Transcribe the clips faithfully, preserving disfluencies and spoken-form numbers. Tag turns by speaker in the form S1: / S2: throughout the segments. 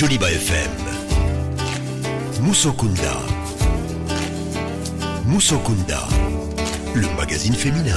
S1: Joliba F M. Musokunda. Musokunda, le magazine féminin.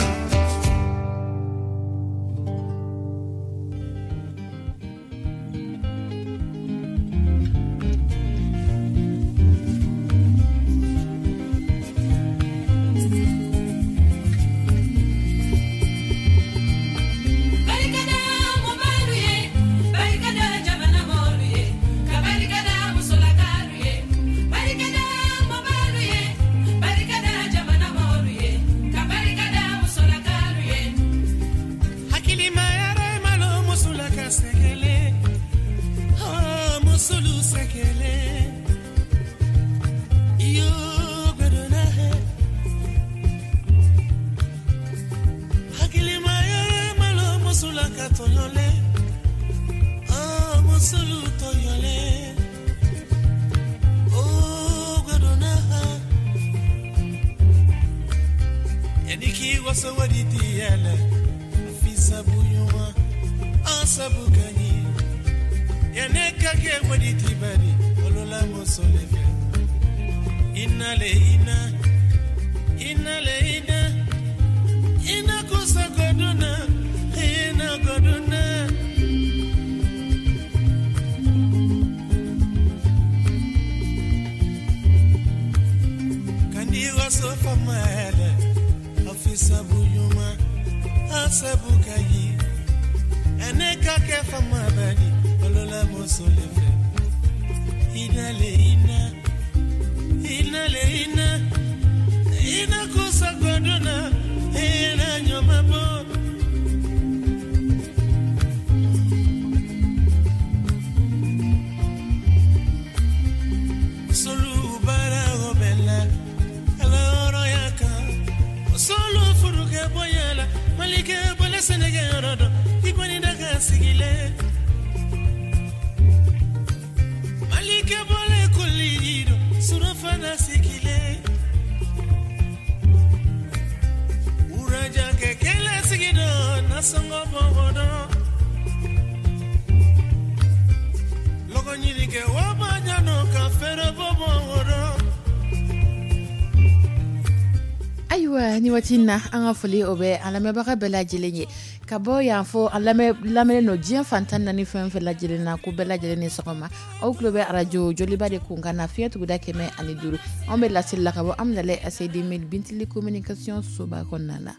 S2: Ayiwa, ni waati in na, an ka foli, o bɛ an lamɛnbaga bɛɛ lajɛlen ye ka bɔ yan fɔ an lamɛnnen don diɲɛ fan tan naani fɛn fɛn lajɛlen na, ko bɛɛ lajɛlen ni sɔgɔma. Aw tulo bɛ arajo Joliba de kun kan na, fiɲɛ tuguda kɛmɛ ani duuru. Anw bɛ laseli la ka bɔ Amidalayi A C D Bintili Communication soba kɔnɔna na.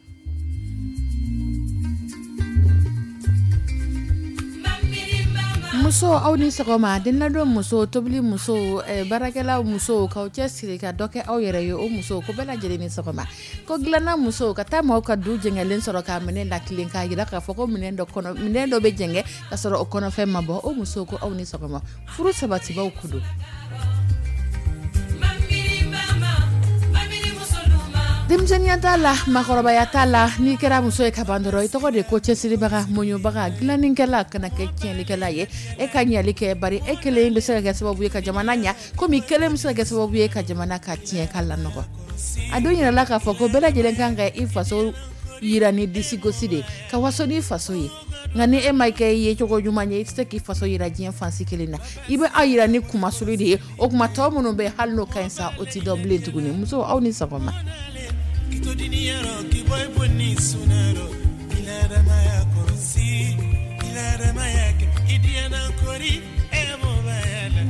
S2: Muso, aw ni sɔgɔma. Denladon muso, tobili muso, baarakɛla muso, k'aw cɛ siri ka dɔ kɛ aw yɛrɛ ye, o muso, ko bɛɛ lajɛlen ni sɔgɔma. Ko dilanna muso, ka taa maaw ka du jɛngɛlen sɔrɔ k'a minɛ la tilen, k'a jira k'a fɔ ko minɛn dɔ kɔnɔ, minɛn dɔ bɛ jɛngɛ ka sɔrɔ o kɔnɔfɛn ma bɔ, o muso, ko aw ni sɔgɔma. Furu sabatibaw ko don. Denmisɛnninya t'a la, maakɔrɔbaya t'a la. N'i kɛra muso ye ka ban dɔrɔn, i tɔgɔ de ko cɛsiribaga, muɲubaga, dilannikɛla, kana kɛ tiɲɛnikɛla ye. E ka ɲali kɛ, bari e kelen bɛ se ka kɛ sababu ye ka jamana ɲa, komi kelen bɛ se ka kɛ sababu ye ka jamana ka tiɲɛ, ka lanɔgɔ. A dun yirala k'a fɔ ko bɛɛ lajɛlen kan ka i faso yira ni disigosi de, ka waso n'i faso ye. Nka ni e ma kɛ i ye cogo ɲuman ye, i tɛ se k'i faso yira diɲɛ fansi kelen na. I bɛ aw yira ni kumasuli de ye. O tuma, tɔ minnu bɛ, hali n'o ka ɲi sa, o tɛ dɔn bilen tuguni. Muso, aw ni sɔgɔma.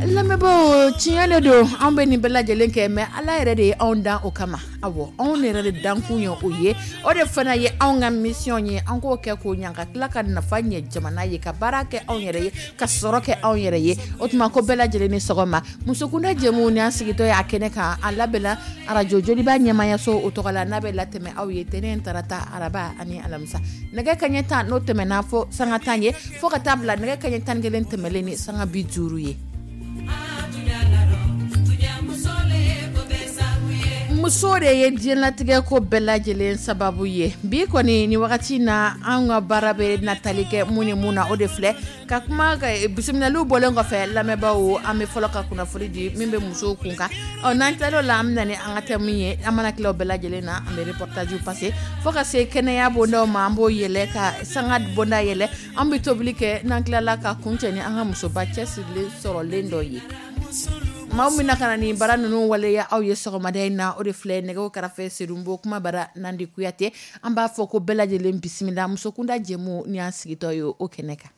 S2: Lamɛnbaaw, tiɲɛ de don, anw bɛ nin bɛɛ lajɛlen kɛ, mais Ala yɛrɛ de ye anw dan o kama. Awɔ, anw yɛrɛ de dankun ye o ye. O de fana ye anw ka mission ye. An k'o kɛ k'o ɲa, ka tila ka nafa ɲɛ jamana ye, ka baara kɛ anw yɛrɛ ye, ka sɔrɔ kɛ anw yɛrɛ ye. O tuma, ko bɛɛ lajɛlen ni sɔgɔma. Musokunda jɛmu ni an sigitɔ ye a kɛnɛ kan, a labɛnna arajo Joliba ɲɛmayaso o tɔgɔ la, n'a bɛ latɛmɛ aw ye tɛnɛn, tarata, araba ani alamisa, nɛgɛ kaɲɛ tan n'o tɛmɛna fo sanga tan ye, fo ka taa bila nɛgɛ kaɲɛ tan kelen tɛmɛlen ni sanga bi duuru ye. Muso de ye diɲɛlatigɛ ko bɛɛ lajɛlen sababu ye. Bi kɔni ni wagati na, an ka baara bɛ natali kɛ mun ni mun na, o de filɛ ka kuma. Bisimilaliw bɔlen kɔfɛ, lamɛnbaaw, an bɛ fɔlɔ ka kunnafoni di min bɛ musow kun kan. Ɔ n'an tilal'o la, an bɛ na ni an ka thème ye. An mana tila o bɛɛ lajɛlen na, an bɛ reportage passer fo ka se kɛnɛya bondaw ma. An b'o yɛlɛ ka sanga bonda yɛlɛ, an bɛ tobili kɛ. N'an tilala, ka kuncɛ ni an ka musoba cɛsirilen sɔrɔlen dɔ ye. Maaw min na ka na nin baara ninnu waleya aw ye sɔgɔmada in na, o de filɛ nɛgɛw kɛrɛfɛ, Sedunbo kuma bara Nandi Kuyate. An b'a fɔ ko bɛɛ lajɛlen bisimila Musokunda jɛmu ni an sigitɔ ye o kɛnɛ kan.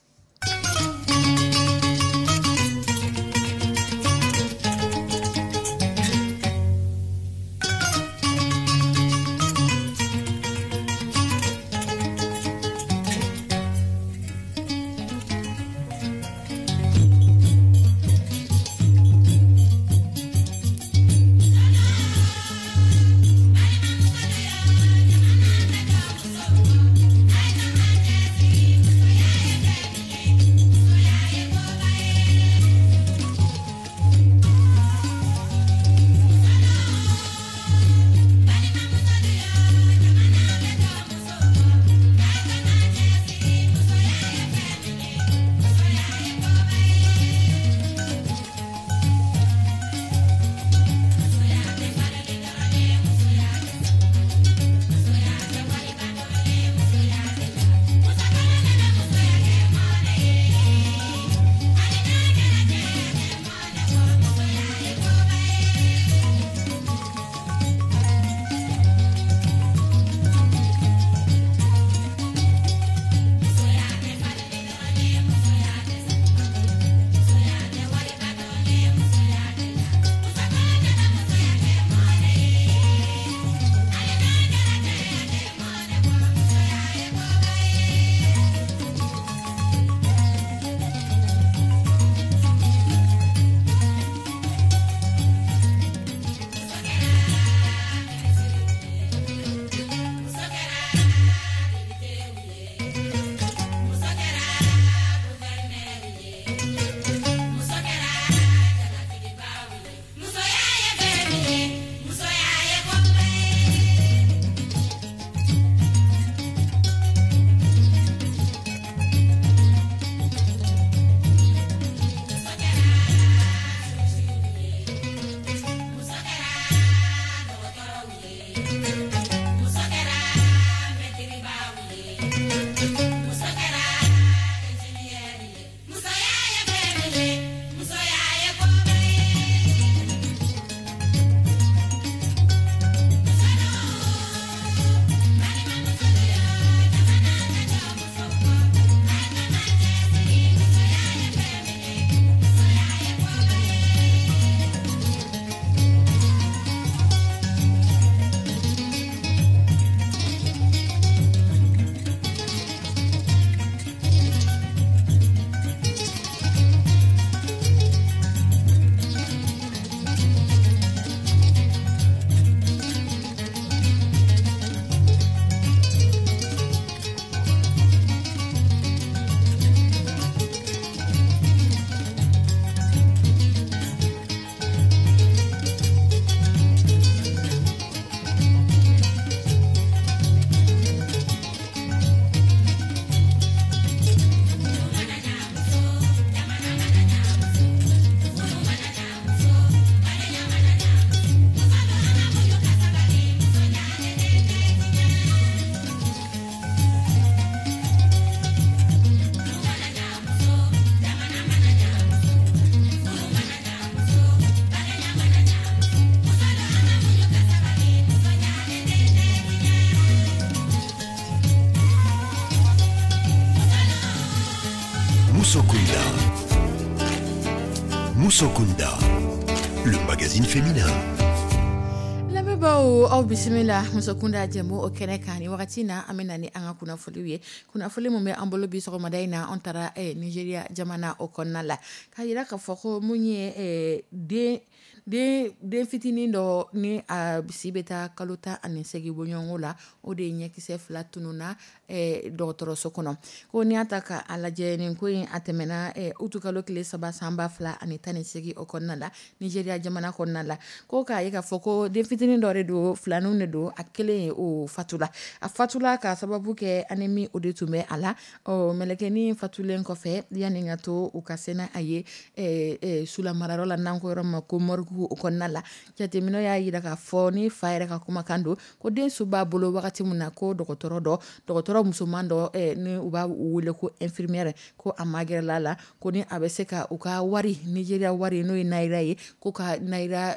S1: Musokunda. Musokunda, le magazine féminin.
S2: Lamɛnbaaw, aw bisimila Musokunda jɛmu o kɛnɛ kan. Ni wagati na, an bɛ na ni an ka kunnafoniw ye. Kunnafoni min bɛ an bolo bi sɔgɔmada in na, an taara eh, Nigeria jamana o kɔnɔna la, k'a yira k'a fɔ ko mun ye eh, den den den fitinin dɔ ni a si bɛ taa kalo tan ani seegin bɔɲɔgɔnko la, o de ye ɲɛkisɛ fila tununna dɔgɔtɔrɔso kɔnɔ. Ko n'i y'a ta k'a lajɛ, nin ko in a tɛmɛna utukalo tile saba san ba fila ani tan ni seegin o kɔnɔna la, Nizeriya jamana kɔnɔna la. Ko k'a ye k'a fɔ ko den fitinin dɔ de don, filaninw de don, a kelen o fatula, a fatula k'a sababu kɛ anémie o de tun bɛ a la. Ɔ mɛlɛkɛnin fatulen kɔfɛ, yanni ka to u ka se n'a ye sulamarayɔrɔ la, n'an ko yɔrɔ ma ko morgue o kɔnɔna la, jateminɛw y'a jira k'a fɔ ni fa yɛrɛ ka kumakan don, ko den su b'a bolo wagati min na, ko dɔgɔtɔrɔ dɔ dɔgɔtɔrɔ musoman dɔ ni u b'a wele ko infirmière, ko a magɛrɛla la, ko ni a bɛ se ka u ka wari, Nizeriya wari n'o ye naira ye, ko ka naira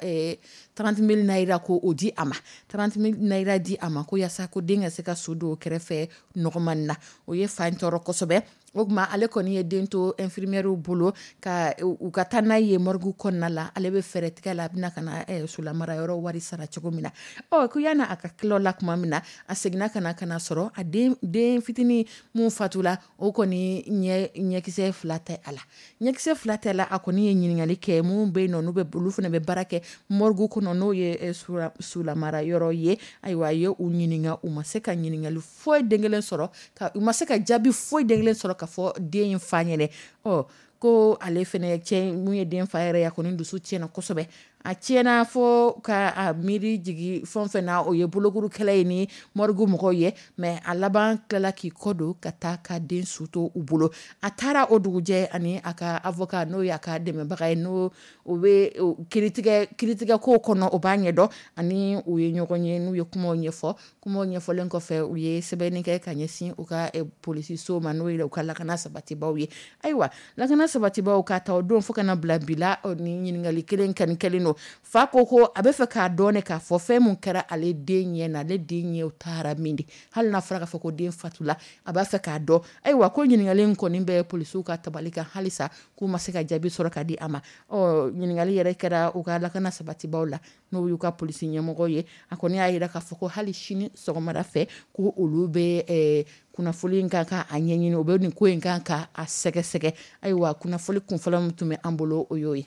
S2: trente mille naira ko o di a ma, trente mille naira di a ma, ko yaasa ko den ka se ka su don kɛrɛfɛ nɔgɔman na. O ye fa in tɔɔrɔ kosɛbɛ. O tuma ale kɔni ye den to infirmière bolo ka u ka taa n'a ye morgue kɔnɔna la, ale bɛ fɛɛrɛ tigɛ la, a bɛna ka na sulamarayɔrɔ wari sara cogo min na. Ɔ ko yanni a ka tila o la tuma min na, a seginna ka na ka na sɔrɔ a den den fitinin mun fatula, o kɔni ɲɛ ɲɛkisɛ fila tɛ a la, ɲɛkisɛ fila tɛ la. A kɔni ye ɲininkali kɛ mun bɛ yen nɔ, n'u bɛ olu fana bɛ baara kɛ morgue kɔnɔ, n'o ye sulamarayɔrɔ ye. Ayiwa, a ye u ɲininka, u ma se ka ɲininkali foyi den kelen sɔrɔ, ka u ma se ka jaabi foyi den kelen sɔrɔ ka fɔ den in fa ɲɛnɛ. Ɔ ko ale fɛnɛ cɛ mun ye den fa yɛrɛ ye, a kɔni dusu tiɲɛna kosɛbɛ. A tiɲɛna fo ka a miiri jigin fɛn fɛn na, o ye bolokuru kɛlɛ ye ni morgue mɔgɔw ye, mais a laban tilala k'i kɔ don ka taa ka den su to u bolo. A taara o dugujɛ ani a ka avocat, n'o y'a ka dɛmɛbaga ye, n'o o bɛ kiiritigɛ kiiritigɛ ko kɔnɔ, o b'a ɲɛdɔn, ani u ye ɲɔgɔn ye, n'u ye kumaw ɲɛfɔ. Kumaw ɲɛfɔlen kɔfɛ, u ye sɛbɛnni kɛ ka ɲɛsin u ka polisiso ma, n'o ye u ka lakana sabatibaw ye. Ayiwa, lakana sabatibaw ka ta o don fo ka na bila bi la, ni ɲininkali kelen kani kɛlen don. Fa ko ko a bɛ fɛ k'a dɔn ne k'a fɔ fɛn mun kɛra ale den ɲɛ na, ale den ɲɛw taara min de, hali n'a fɔra k'a fɔ ko den fatula, a b'a fɛ k'a dɔn. Ayiwa, ko ɲininkali in kɔni bɛ polisiw ka tabali kan halisa, k'u ma se ka jaabi sɔrɔ ka di a ma. Ɔ ɲininkali yɛrɛ kɛra u ka lakana sabatibaw la, n'o y'u ka polisi ɲɛmɔgɔ ye. A kɔni y'a jira k'a fɔ ko hali sini sɔgɔmada fɛ, ko olu bɛ kunnafoli in kan ka a ɲɛɲini, u bɛ nin ko in kan ka a sɛgɛsɛgɛ. Ayiwa, kunnafoli kunfɔlɔ min tun bɛ an bolo, o y'o ye.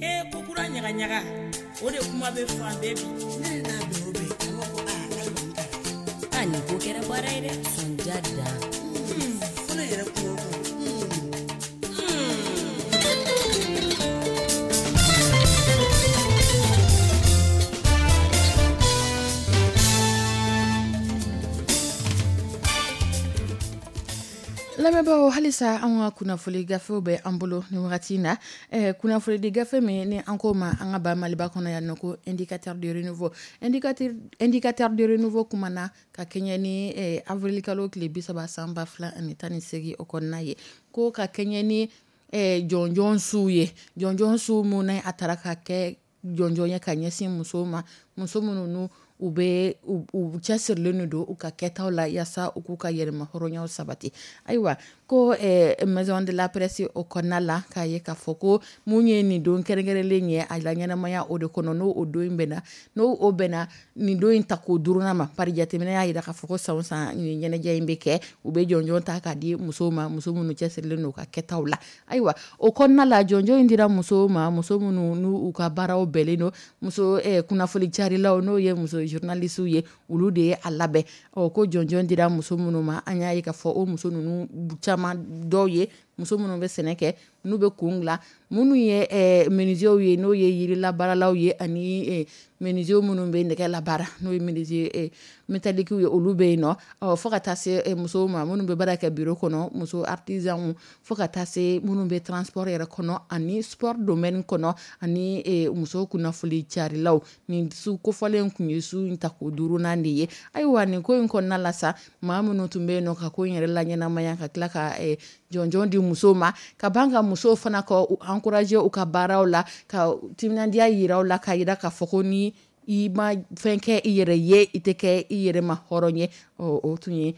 S3: Ee ko kura ɲaga ɲaga, o de kuma bɛ fan bɛɛ bi.
S4: Ne n'a bɛn o bɛn, a b'a fɔ aa k'ale kɔni taara.
S5: A nin ko kɛra baara ye dɛ, sonja dan.
S4: Fo ne yɛrɛ kuma o kuma.
S2: Lamɛnbaaw, halisa an ka kunnafoni gafew bɛ an bolo nin wagati in na. Eh, kunnafoni gafe min ni an ko ma an ka ba Maliba kɔnɔ yan nɔ ko indicateur de renouveau. Indicateur, indicateur de renouveau kumana ka kɛɲɛ ni eh, avril kalo tile bi saba san ba fila ani tan ni seegin o kɔnɔna ye, ko ka kɛɲɛ ni eh, jɔnjɔn su ye, jɔnjɔn su mun na a taara ka kɛ jɔnjɔn ye ka ɲɛsin musow ma, muso minnu n'u u bɛ u cɛsirilen don u ka kɛtaw la yaasa u k'u ka yɛrɛma hɔrɔnyaw sabati. Ayiwa, ko eh, maison de la presse o kɔnɔna la, k'a ye k'a fɔ ko mun ye nin don kɛrɛnkɛrɛnlen ye a la ɲɛnamaya o de kɔnɔ, n'o o don in bɛnna n'o o bɛnna nin don in tako duurunan ma. Pari jateminɛ y'a jira k'a fɔ ko san o san nin ɲɛnajɛ in bɛ kɛ, u bɛ jɔnjɔn ta k'a di musow ma, muso minnu cɛsirilen don u ka kɛtaw la. Ayiwa, o kɔnɔna la, jɔnjɔn in dira musow ma, muso minnu n'u ka baaraw bɛnnen don muso eh, kunnafoni carilaw, n'o ye muso journalistes ye, olu de ye a labɛn. Ɔ ko jɔnjɔn dira muso minnu ma, an y'a ye k'a fɔ o muso ninnu caman dɔw ye muso minnu bɛ sɛnɛ kɛ, n'u bɛ kun dilan, minnu ye menuisiers ye, n'o ye yirilabaaralaw ye, ani menuisiers minnu bɛ nɛgɛ labaara, n'o ye menuisier métallique ye, olu bɛ yen nɔ. Ɔ fo ka taa se musow ma minnu bɛ baara kɛ bureau kɔnɔ, muso artisans, fo ka taa se minnu bɛ transport yɛrɛ kɔnɔ ani sport domaine kɔnɔ, ani muso kunnafoni carilaw. Nin su kofɔlen kun ye su in tako duurunan de ye. Ayiwa, nin ko in kɔnɔna la sa, maa minnu tun bɛ yen nɔ ka ko in yɛrɛ laɲɛnamaya, ka tila ka jɔnjɔn di musow ma, ka ban ka musow fana ka u encourager u ka baaraw la, ka timinandiya yira u la, k'a yira k'a fɔ ko ni i ma fɛn kɛ i yɛrɛ ye, i tɛ kɛ i yɛrɛ ma hɔrɔn ye. Ɔ o tun ye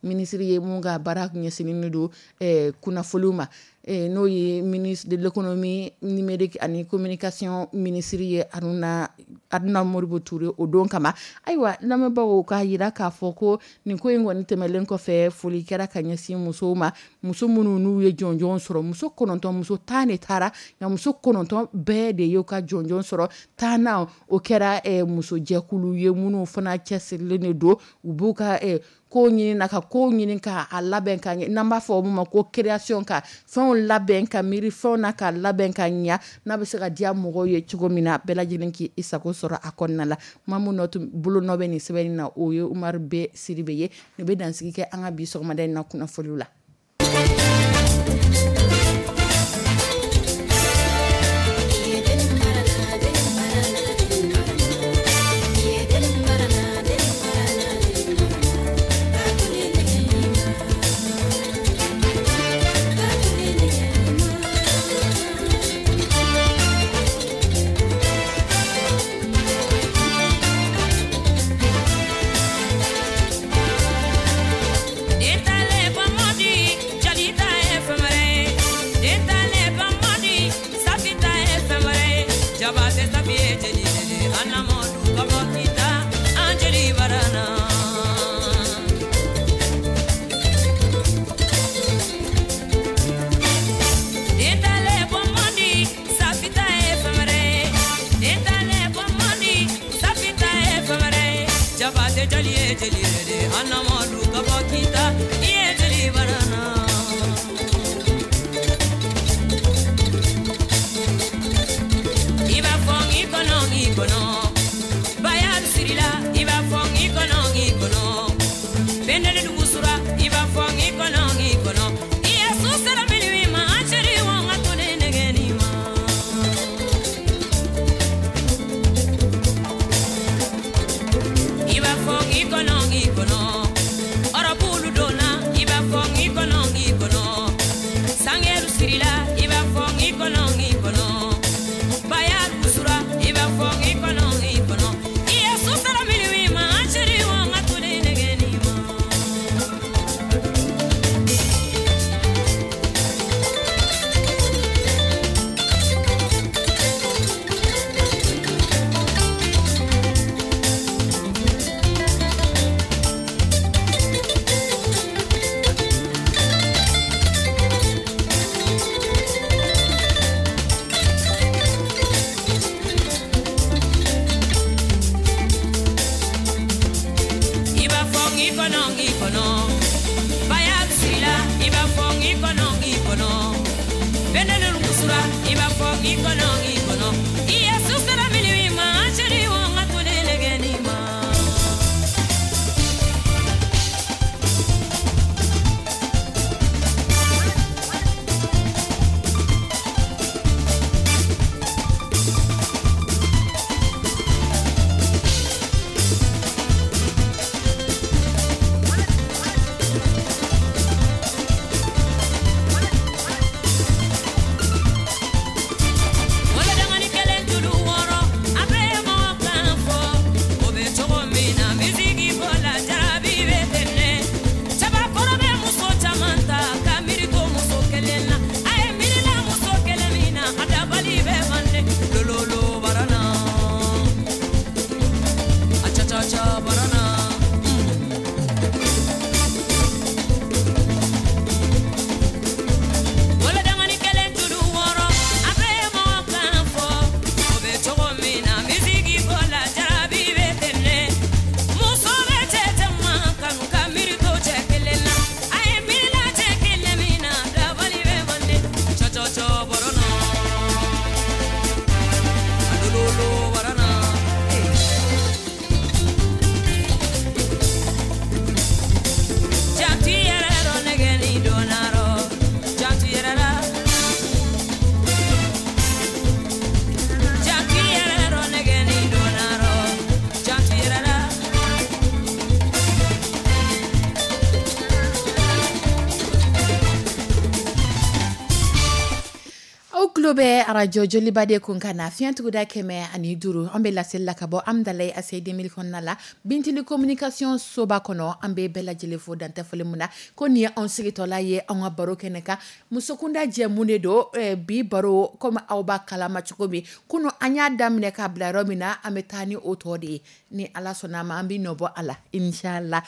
S2: minisiri ye mun ka baara ɲɛsinnen don kunnafoniw ma, N'o ye ministre de l'économie numérique ani communication minisiri ye, Haruna Haruna Modibo Touré, o don kama. Ayiwa, lamɛnbagaw, k'a jira k'a fɔ ko nin ko in kɔni tɛmɛnen kɔfɛ, foli kɛra ka ɲɛsin musow ma, muso minnu n'u ye jɔnjɔn sɔrɔ. Muso kɔnɔntɔn, muso tan de taara, nka muso kɔnɔntɔn bɛɛ de y'u ka jɔnjɔn sɔrɔ. Tannan o kɛra musojɛkulu ye, minnu fana cɛsirilen de don, u b'u ka ko ɲini na, ka ko ɲini k'a labɛn ka ɲɛ, n'an b'a fɔ o ma ko création, ka fɛnw labɛn, ka miiri fɛnw na, ka labɛn ka ɲɛ, n'a bɛ se ka diya mɔgɔw ye cogo min na, bɛɛ lajɛlen k'i sago sɔrɔ a kɔnɔna la. Maa min nɔ bolo nɔ bɛ nin sɛbɛnni na, o ye Umaru B Sidibe ye. Nin bɛ dansigi kɛ an ka bi sɔgɔmada in na kunnafoniw la. Tulo bɛ arajo Joliba de kun ka na fiɲɛ tuguda kɛmɛ ani duuru. An bɛ laseli la ka bɔ Amidalayi A C I deux mille kɔnɔna la, Bintili communication soba kɔnɔ. An bɛ bɛɛ lajɛlen fo dantɛ foli mun na ko nin ye anw sigitɔla ye an ka baro kɛnɛ kan, musokunda jɛmu de don. Bi baro, comme aw b'a kalama cogo min, kunun an y'a daminɛ k'a bila yɔrɔ min na, an bɛ taa ni o tɔ de ye. Ni Ala sɔnna a ma, an bɛ nɔ bɔ a la inchallah.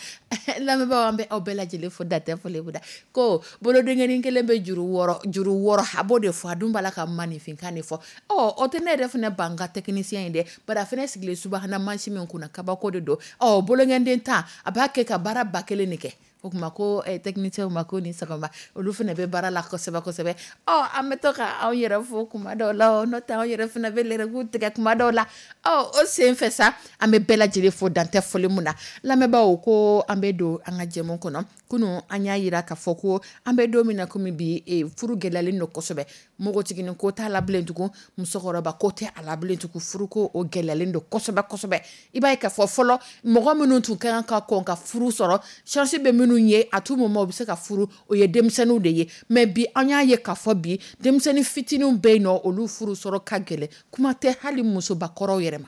S2: Lamɛnbaaw, an bɛ aw bɛɛ lajɛlen fo dantɛ foli mun na ko bolodenkɛnin kelen bɛ juru wɔɔrɔ, juru wɔɔrɔ, a b'o de fɔ. A dun b'a la ka maninfinkan de fɔ. Ɔ o tɛ ne yɛrɛ fana ban ka technicien ye dɛ, bari a fana sigilen subahana mansin min kunna, kabako de don. Ɔ bolonkɛden tan, a b'a kɛ ka baara ba kelen de kɛ. O tuma ko technicien ma ko ni sɔgɔma, olu fana bɛ baara la kosɛbɛ kosɛbɛ. Ɔ an bɛ to ka anw yɛrɛ fo kuma dɔw la, n'o tɛ anw yɛrɛ fana bɛ lɛrɛku tigɛ kuma dɔw la. Ɔ o sen fɛ sa, an bɛ bɛɛ lajɛlen fo dantɛ foli mun na. Lamɛnbaaw, ko an bɛ don an ka jɛmu kɔnɔ. Kunun an y'a jira k'a fɔ ko an bɛ don min na komi bi, furu gɛlɛyalen don kosɛbɛ. Npogotiginin ko t'a la bilen tugun, musokɔrɔba ko tɛ a la bilen tugun, furuko o gɛlɛyalen don kosɛbɛ kosɛbɛ. I b'a ye k'a fɔ fɔlɔ, mɔgɔ minnu tun ka kan ka kɔn ka furu sɔrɔ, chance bɛ minnu ye à tout moment u bɛ se ka furu, o ye denmisɛnninw de ye. Mais bi, an y'a ye k'a fɔ bi, denmisɛnnin fitininw bɛ yen nɔ, olu furu sɔrɔ ka gɛlɛn, kuma tɛ hali musobakɔrɔw yɛrɛ ma.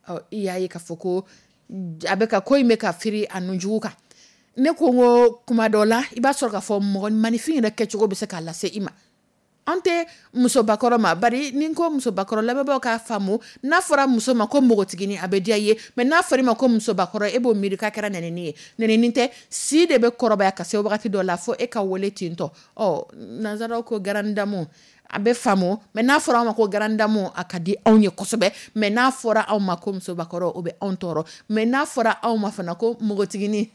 S2: Ɔ i y'a ye k'a fɔ ko a bɛ ka ko in bɛ ka firi a nunjugu kan. Ne ko n ko kuma dɔ la, i b'a sɔrɔ k'a fɔ mɔgɔ maninfin yɛrɛ kɛcogo bɛ se k'a lase i ma. An tɛ musobakɔrɔ ma, bari ni n ko musobakɔrɔ, lamɛnbaaw k'a faamu, n'a fɔra muso ma ko npogotiginin, a bɛ diya i ye, mais n'a fɔra i ma ko musobakɔrɔ, e b'o miiri k'a kɛra nɛnini ye. Nɛnini tɛ, si de bɛ kɔrɔbaya ka se wagati dɔ la fo e ka wele ten tɔ. Ɔ nanzaraw ko grande dame, a bɛ faamu, mais n'a fɔra anw ma ko grande dame, a ka di anw ye kosɛbɛ, mais n'a fɔra anw ma ko musobakɔrɔ, o bɛ anw tɔɔrɔ. Mais n'a fɔra anw ma fana ko npogotiginin,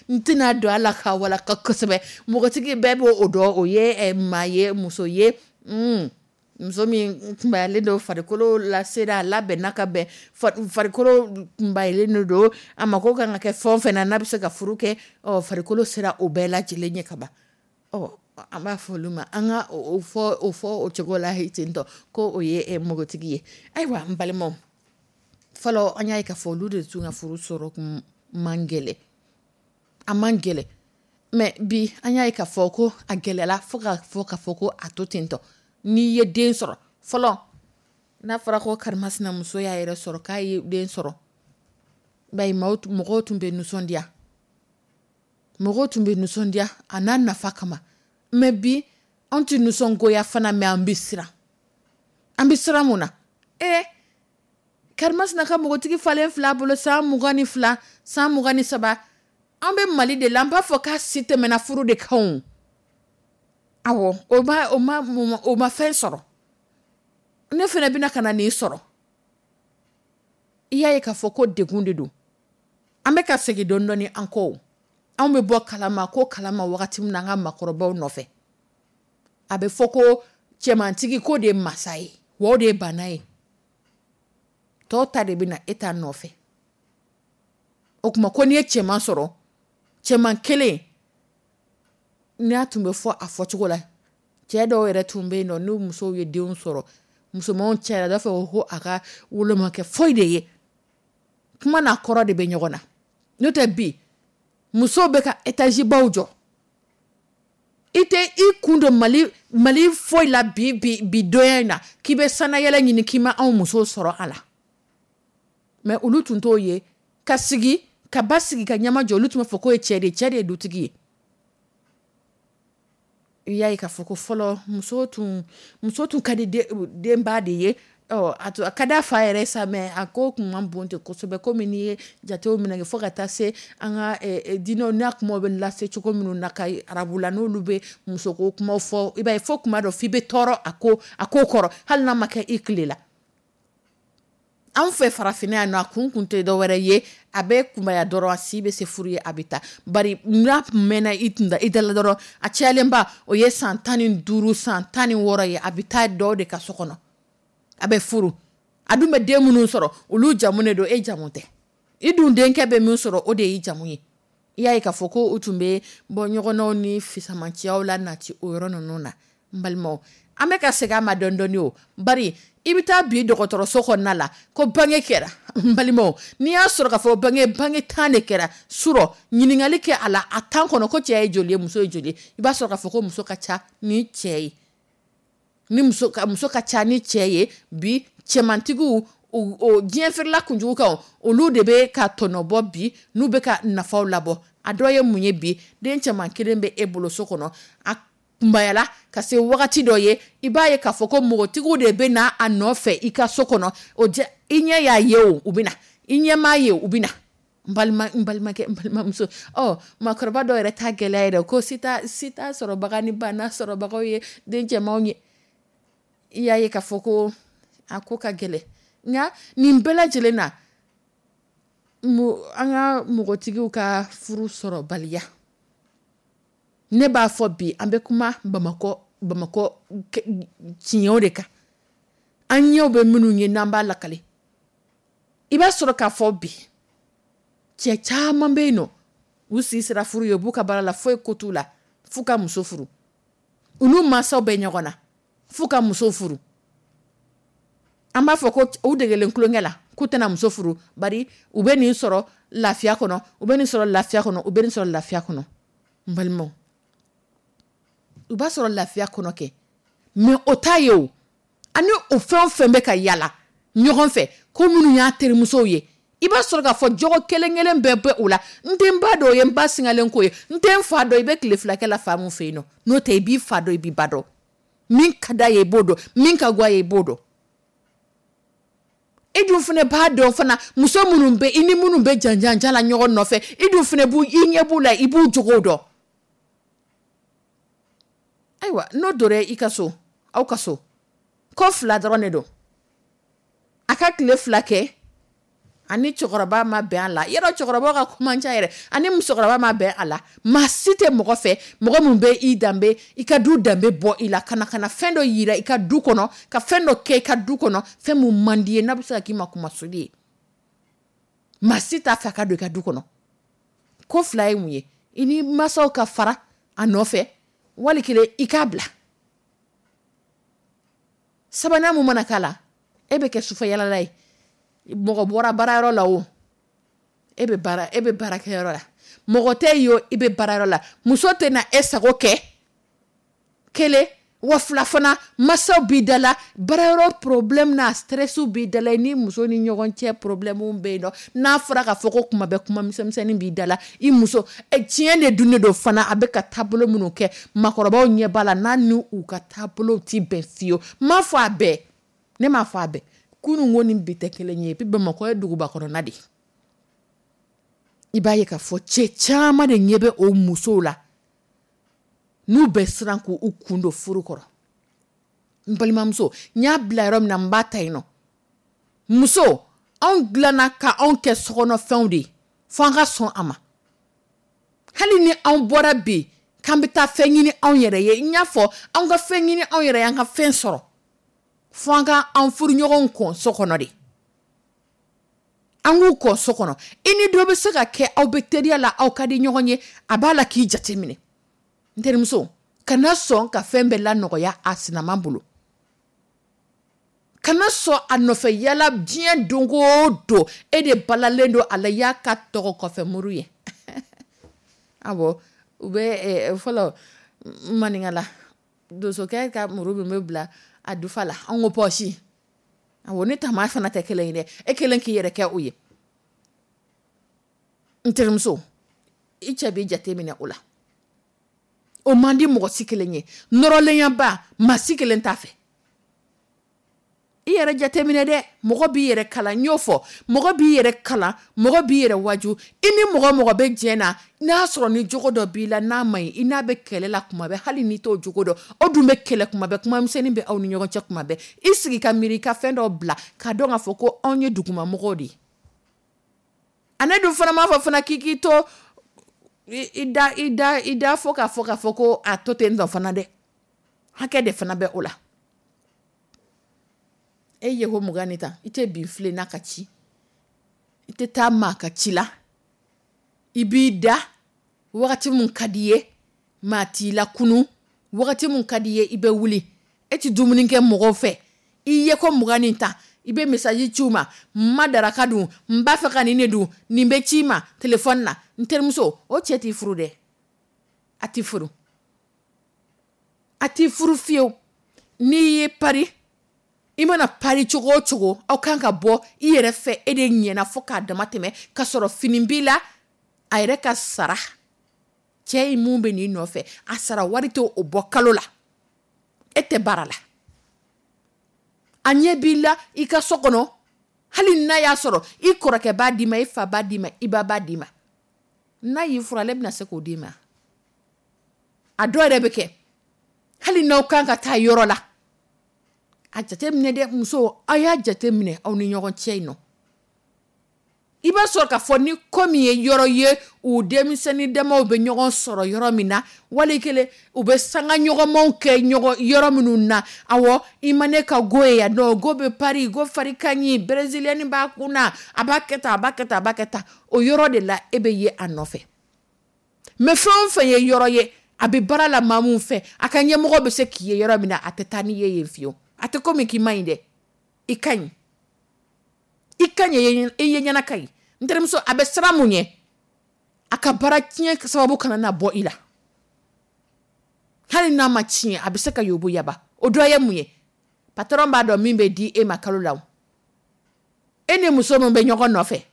S2: n tɛna don a la ka walaka kosɛbɛ. Npogotigi bɛɛ b'o o dɔn, o ye maa ye, muso ye, muso min kunbayalen don, farikolo lasera a labɛnna ka bɛn, farikolo kunbayalen don, a mako kan ka kɛ fɛn o fɛn na n'a bɛ se ka furu kɛ. Ɔ farikolo sera o bɛɛ lajɛlen ɲɛ ka ban. Ɔ an b'a fɔ olu ma, an ka o fɔ o fɔ o cogo la ten tɔ ko o ye npogotigi ye. Ayiwa n balimaw, fɔlɔ an y'a ye k'a fɔ olu de tun ka furu sɔrɔ kun man gɛlɛn, a man gɛlɛn. Mais bi, an y'a ye k'a fɔ ko a gɛlɛyala fo ka fɔ k'a fɔ ko a to ten tɔ. N'i ye den sɔrɔ fɔlɔ, n'a fɔra ko karimasina muso y'a yɛrɛ sɔrɔ k'a ye den sɔrɔ, bayi mɔgɔw tun bɛ nisɔndiya, mɔgɔw tun bɛ nisɔndiya a n'a nafa kama. Mais bi, anw tɛ nisɔngoya fana, mais an bɛ siran. An bɛ siran mun na? Ee karimasina ka npogotigi falen fila bolo, san mugan ni fila, san mugan ni saba, an bɛ Mali de la, an b'a fɔ k'a si tɛmɛna furu de kan. O awɔ, o ma o ma o ma fɛn sɔrɔ, ne fana bɛna ka na nin sɔrɔ. I y'a ye k'a fɔ ko degun de don. An bɛ ka segin dɔɔni dɔɔni an kɔ. Anw bɛ bɔ kalama ko kalama wagati min na, an ka maakɔrɔbaw nɔfɛ, a bɛ fɔ ko cɛmantigi ko de ye masa ye, wa o de ye bana ye, tɔw ta de bɛ na e ta nɔfɛ. O tuma ko n'i ye cɛman sɔrɔ, cɛman kelen n'a tun bɛ fɔ a fɔcogo la, cɛ dɔw yɛrɛ tun bɛ yen nɔ, n'u musow ye denw sɔrɔ, musomanw cayara, a b'a fɔ ko a ka wolo ma kɛ foyi de ye. Kuma n'a kɔrɔ de bɛ ɲɔgɔn na. N'o tɛ, bi musow bɛ ka étage baw jɔ, i tɛ i kun don Mali Mali foyi la bi bi bi donya in na k'i bɛ sanayɛlɛ ɲini k'i ma anw musow sɔrɔ a la. Mais olu tun t'o ye ka sigi ka ba sigi ka ɲɛma jɔ. Olu tun b'a fɔ k'o ye cɛ de ye, cɛ de ye dutigi ye. I y'a ye k'a fɔ ko fɔlɔ muso tun muso tun ka di denba de ye. Ɔ a ka d'a fa yɛrɛ sa, mais a ko tun man bon ten kosɛbɛ, komi n'i ye jatew minɛ fo ka taa se an ka diinɛw n'a kumaw bɛ lase cogo minnu na ka arabula, n'olu bɛ musoko kumaw fɔ, i b'a ye fo kuma dɔ f'i bɛ tɔɔrɔ a ko a ko kɔrɔ, hali n'a ma kɛ i tile la. Anw fɛ farafinna yan nɔ, a kun kun tɛ dɔwɛrɛ ye, a bɛ kunbaya dɔrɔn, a si bɛ se furu ye, a bɛ taa. Bari n'a mɛnna i tun da i dala dɔrɔn, a cayalenba o ye san tan ni duuru, san tan ni wɔɔrɔ ye, a bɛ taa dɔw de ka so kɔnɔ, a bɛ furu. A dun bɛ den minnu sɔrɔ, olu jamu de don, e jamu tɛ. I dun denkɛ bɛ min sɔrɔ, o de y'i jamu ye. I y'a ye k'a fɔ ko u tun bɛ bɔ ɲɔgɔnnaw ni fisamanciyaw la nati o yɔrɔ ninnu na. N balimaw, an bɛ ka segin a ma dɔɔni dɔɔni. O bari i bɛ taa bi dɔgɔtɔrɔso kɔnɔna la ko bange kɛra, n balimaw, n'i y'a sɔrɔ k'a fɔ bange bange tan de kɛra surɔ, ɲininkali kɛ a la a tan kɔnɔ ko cɛ ye joli ye, muso ye joli ye, i b'a sɔrɔ k'a fɔ ko muso ka ca ni cɛ ye. Ni muso ka muso ka ca ni cɛ ye bi, cɛmantigiw, o diɲɛ feerela kunjugu kan, olu de bɛ ka tɔnɔbɔ bi, n'u bɛ ka nafaw labɔ. A dɔ ye mun ye bi? Den cɛman kelen bɛ e bolo so kɔnɔ, a kunbayala ka se wagati dɔ ye, i b'a ye k'a fɔ ko npogotigiw de bɛ na a nɔfɛ i ka so kɔnɔ. O i ɲɛ y'a ye, o u bɛ na, i ɲɛ m'a ye, u bɛ na. N balima, n balimakɛ, n balimamuso, ɔ maakɔrɔba dɔw yɛrɛ ta gɛlɛya yɛrɛ ko si t'a si t'a sɔrɔbaga ni banna sɔrɔbagaw ye den cɛmanw ye. I y'a ye k'a fɔ ko a ko ka gɛlɛn, nka nin bɛɛ lajɛlen na, an ka npogotigiw ka furu sɔrɔbaliya, ne b'a fɔ bi, an bɛ kuma Bamakɔ Bamakɔ tiɲɛw de kan, an ɲɛw bɛ minnu ye n'an b'a lakale. I b'a sɔrɔ k'a fɔ bi, cɛ caman bɛ yen nɔ, u si sera furu ye, u b'u ka baara la, foyi ko t'u la f'u ka muso furu. U n'u mansaw bɛ ɲɔgɔn na f'u ka muso furu. An b'a fɔ ko u degelen tulonkɛ la k'u tɛna muso furu, bari u bɛ nin sɔrɔ lafiya kɔnɔ, u bɛ nin sɔrɔ lafiya kɔnɔ, u bɛ nin sɔrɔ lafiya kɔnɔ. N balimaw, u b'a sɔrɔ lafiya kɔnɔ kɛ, mais o t'a ye o. Ani o fɛn o fɛn bɛ ka yala ɲɔgɔn fɛ, ko minnu y'a terimusow ye, i b'a sɔrɔ k'a fɔ jogo kelen kelen bɛɛ bɛ o la. N tɛ n ba dɔn, o ye n ba singalen ko ye. N tɛ n fa dɔn, i bɛ tile fila kɛ la fa mun fɛ yen nɔ, n'o tɛ i b'i fa dɔn, i b'i ba dɔn. Min ka d'a ye i b'o dɔn, min ka go a ye i b'o dɔn. E dun fana b'a dɔn fana, muso minnu bɛ i ni minnu bɛ janjanja la ɲɔgɔn nɔfɛ, i dun fana b'u, i ɲɛ b'u la, i b'u jogow dɔn. Ayiwa, n'o donna i ka so, aw ka so, ko fila dɔrɔn de don. A ka tile fila kɛ, ani cɛkɔrɔba ma bɛn a la. Yɔrɔ cɛkɔrɔba ka kuma ca yɛrɛ, ani musokɔrɔba ma bɛn a la. Maa si tɛ mɔgɔ fɛ, mɔgɔ min bɛ i danbe, i ka du danbe bɔ i la, ka na ka na fɛn dɔ yira i ka du kɔnɔ, ka fɛn dɔ kɛ i ka du kɔnɔ, fɛn mun man di ye, n'a bɛ se ka k'i ma kumasuli ye. Maa si t'a fɛ a ka don i ka du kɔnɔ. Ko fila ye mun ye? I ni mansaw ka fara a nɔfɛ, wali kelen i k'a bila. Sabanan mun mana k'a la, e bɛ kɛ sufɛ yalala ye. Mɔgɔ bɔra baarayɔrɔ la o, e bɛ baara, e bɛ baarakɛyɔrɔ la, mɔgɔ tɛ yen o, i bɛ baarayɔrɔ la. Muso tɛna e sago kɛ kelen wa fila fana, masaw b'i da la, baarayɔrɔ problème n'a stress b'i da la, i ni muso ni ɲɔgɔn cɛ problème bɛ yen nɔ. N'a fɔra k'a fɔ ko kuma bɛɛ kuma misɛnmisɛnnin b'i da la, i muso, tiɲɛ de dun de don fana, a bɛ ka taabolo minnu kɛ, maakɔrɔbaw ɲɛ b'a la, n'a ni u ka taabolow ti bɛn fiyewu. N m'a fɔ a bɛɛ, ne m'a fɔ a bɛɛ. Kunun ko ni bi tɛ kelen ye, bi Bamakɔ ye duguba kɔnɔna de ye. I b'a ye k'a fɔ cɛ caman de ɲɛ bɛ o musow la, n'u bɛ siran k'u kun don furu kɔrɔ. N balimamuso, n y'a bila yɔrɔ min na, n b'a ta yen nɔ. Muso, anw dilanna ka anw kɛ sokɔnɔfɛnw de ye, fo an ka sɔn a ma. Hali ni anw bɔra bi k'an bɛ taa fɛn ɲini anw yɛrɛ ye, n y'a fɔ, anw ka fɛn ɲini anw yɛrɛ ye, an ka fɛn sɔrɔ, fo an ka an furuɲɔgɔnw kɔn so kɔnɔ de. An k'u kɔn so kɔnɔ. I ni dɔ bɛ se ka kɛ, aw bɛ teriya la, aw ka di ɲɔgɔn ye, a b'a la k'i jateminɛ. N terimuso, kana sɔn ka fɛn bɛɛ lanɔgɔya a sinama bolo. Kana sɔn a nɔfɛ yala diɲɛ don o don, e de balalen don a la, i y'a ka tɔgɔ kɔfɛ muru ye. Awɔ, u bɛ fɔlɔ maninkala donsokɛ ka muru min bɛ bila a dufa la, an ko pɔsi. Awɔ, ne tama fana tɛ kelen ye dɛ, e kelen k'i yɛrɛ kɛ o ye. N terimuso, i cɛ b'i jate minɛ o la. O man di mɔgɔ si kelen ye. Nɔrɔlenyaba, maa si kelen t'a fɛ. I yɛrɛ jateminɛ dɛ, mɔgɔ b'i yɛrɛ kalan, n y'o fɔ, mɔgɔ b'i yɛrɛ kalan, mɔgɔ b'i yɛrɛ waju. I ni mɔgɔ mɔgɔ bɛ jɛ na, n'a sɔrɔ ni jogo dɔ b'i la n'a man ɲi, i n'a bɛ kɛlɛ la kuma bɛɛ, hali n'i t'o jogo dɔn, o dun bɛ kɛlɛ kuma bɛɛ, kuma misɛnnin bɛ aw ni ɲɔgɔn cɛ kuma bɛɛ. I sigi ka miiri, i ka fɛn dɔ bila, k'a dɔn k'a fɔ ko anw ye dugumamɔgɔw de ye. A ne dun fana m'a fɔ fana k'i k'i to i da i da i da fɔ k'a fɔ k'a fɔ ko a to ten tɔ fana dɛ. Hakɛ de fana bɛ o la. E ye ko mugan ni tan, i tɛ bin filen n'a ka ci, i tɛ taa maa ka ci la, i b'i da wagati mun ka di ye, maa t'i la kunu, wagati mun ka di ye i bɛ wuli, e tɛ dumuni kɛ mɔgɔw fɛ. I ye ko mugan ni tan, i bɛ message ci u ma, n ma daraka dun, n b'a fɛ ka nin de dun, nin bɛ ci i ma téléphone na. N terimuso, o cɛ t'i furu dɛ, a t'i furu, a t'i furu fiyewu. N'i ye pari, i mana pari cogo o cogo, aw kan ka bɔ i yɛrɛ fɛ, e de ɲɛna fo k'a dama tɛmɛ, ka sɔrɔ fini b'i la. A yɛrɛ ka sara, cɛ in mun bɛ n'i nɔfɛ, a sara wari tɛ o bɔ kalo la. E tɛ baara la, a ɲɛ b'i la i ka so kɔnɔ. Hali n'a y'a sɔrɔ i kɔrɔkɛ b'a d'i ma, i fa b'a d'i ma, i ba b'a d'i ma, n'a y'i furu, ale bɛna se k'o d'i ma. A dɔw yɛrɛ bɛ kɛ, hali n'aw kan ka taa yɔrɔ la, a jateminɛ dɛ. Muso, aw y'a jateminɛ aw ni ɲɔgɔn cɛ in nɔ. I b'a sɔrɔ k'a fɔ ni ko min ye yɔrɔ ye, u denmisɛnnin damaw bɛ ɲɔgɔn sɔrɔ yɔrɔ min na, wali kelen u bɛ sanga ɲɔgɔnmaw kɛ ɲɔgɔn yɔrɔ minnu na. Awɔ, i ma ne ka go ye yan nɔ, go bɛ pari, go fari ka ɲi, brésilienne b'a kun na, a b'a kɛ tan, a b'a kɛ tan, a b'a kɛ tan, o yɔrɔ de la e bɛ ye a nɔfɛ. Mais fɛn o fɛn ye yɔrɔ ye, a bɛ baara la maa min fɛ, a ka ɲɛmɔgɔ bɛ se k'i ye yɔrɔ min na, a tɛ taa n'i ye yen fiyewu. A tɛ komi k'i ma ɲi dɛ, i ka ɲi, i ka ɲi, i ye ɲɛna ka ɲi. N terimuso, a bɛ siran mun ɲɛ? A ka baara tiɲɛ sababu kana na bɔ i la. Hali n'a ma tiɲɛ, a bɛ se ka yobo yaba. O dɔ ye mun ye? Patron b'a dɔn min bɛ di e ma kalo la. O e ni muso min bɛ ɲɔgɔn nɔfɛ,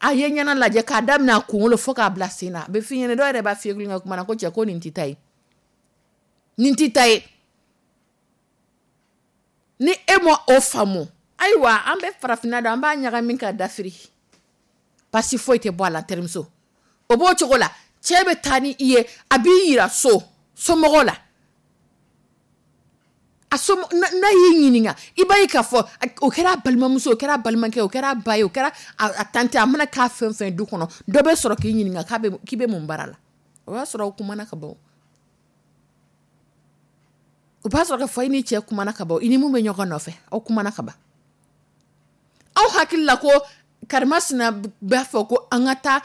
S2: a ye ɲɛna lajɛ k'a daminɛ a kunkolo fo k'a bila sen na, a bɛ f'i ɲɛna. Dɔw yɛrɛ b'a f'i ye kulonkɛ kuma na ko: "Cɛ, ko nin t'i ta ye, nin t'i ta ye." Ni e ma o faamu, ayiwa, an bɛ farafinna dɔn, an b'a ɲagami ka dafiri, basi foyi tɛ bɔ a la. N terimuso, o b'o cogo la. Cɛ bɛ taa ni i ye, a b'i yira so somɔgɔw la. A so, n'a y'i ɲininka, i b'a ye k'a fɔ o kɛra a balimamuso, o kɛra a balimakɛ, o kɛra a ba ye, o kɛra a tante, a mana k'a fɛn fɛn du kɔnɔ, dɔ bɛ sɔrɔ k'i ɲininka k'a bɛ k'i bɛ mun baara la. O y'a sɔrɔ o kumana ka ban. O b'a sɔrɔ k'a fɔ i ni cɛ kumana ka ban, i ni mun bɛ ɲɔgɔn nɔfɛ, aw kumana ka ban. Aw hakili la ko karimasina b'a fɔ ko an ka taa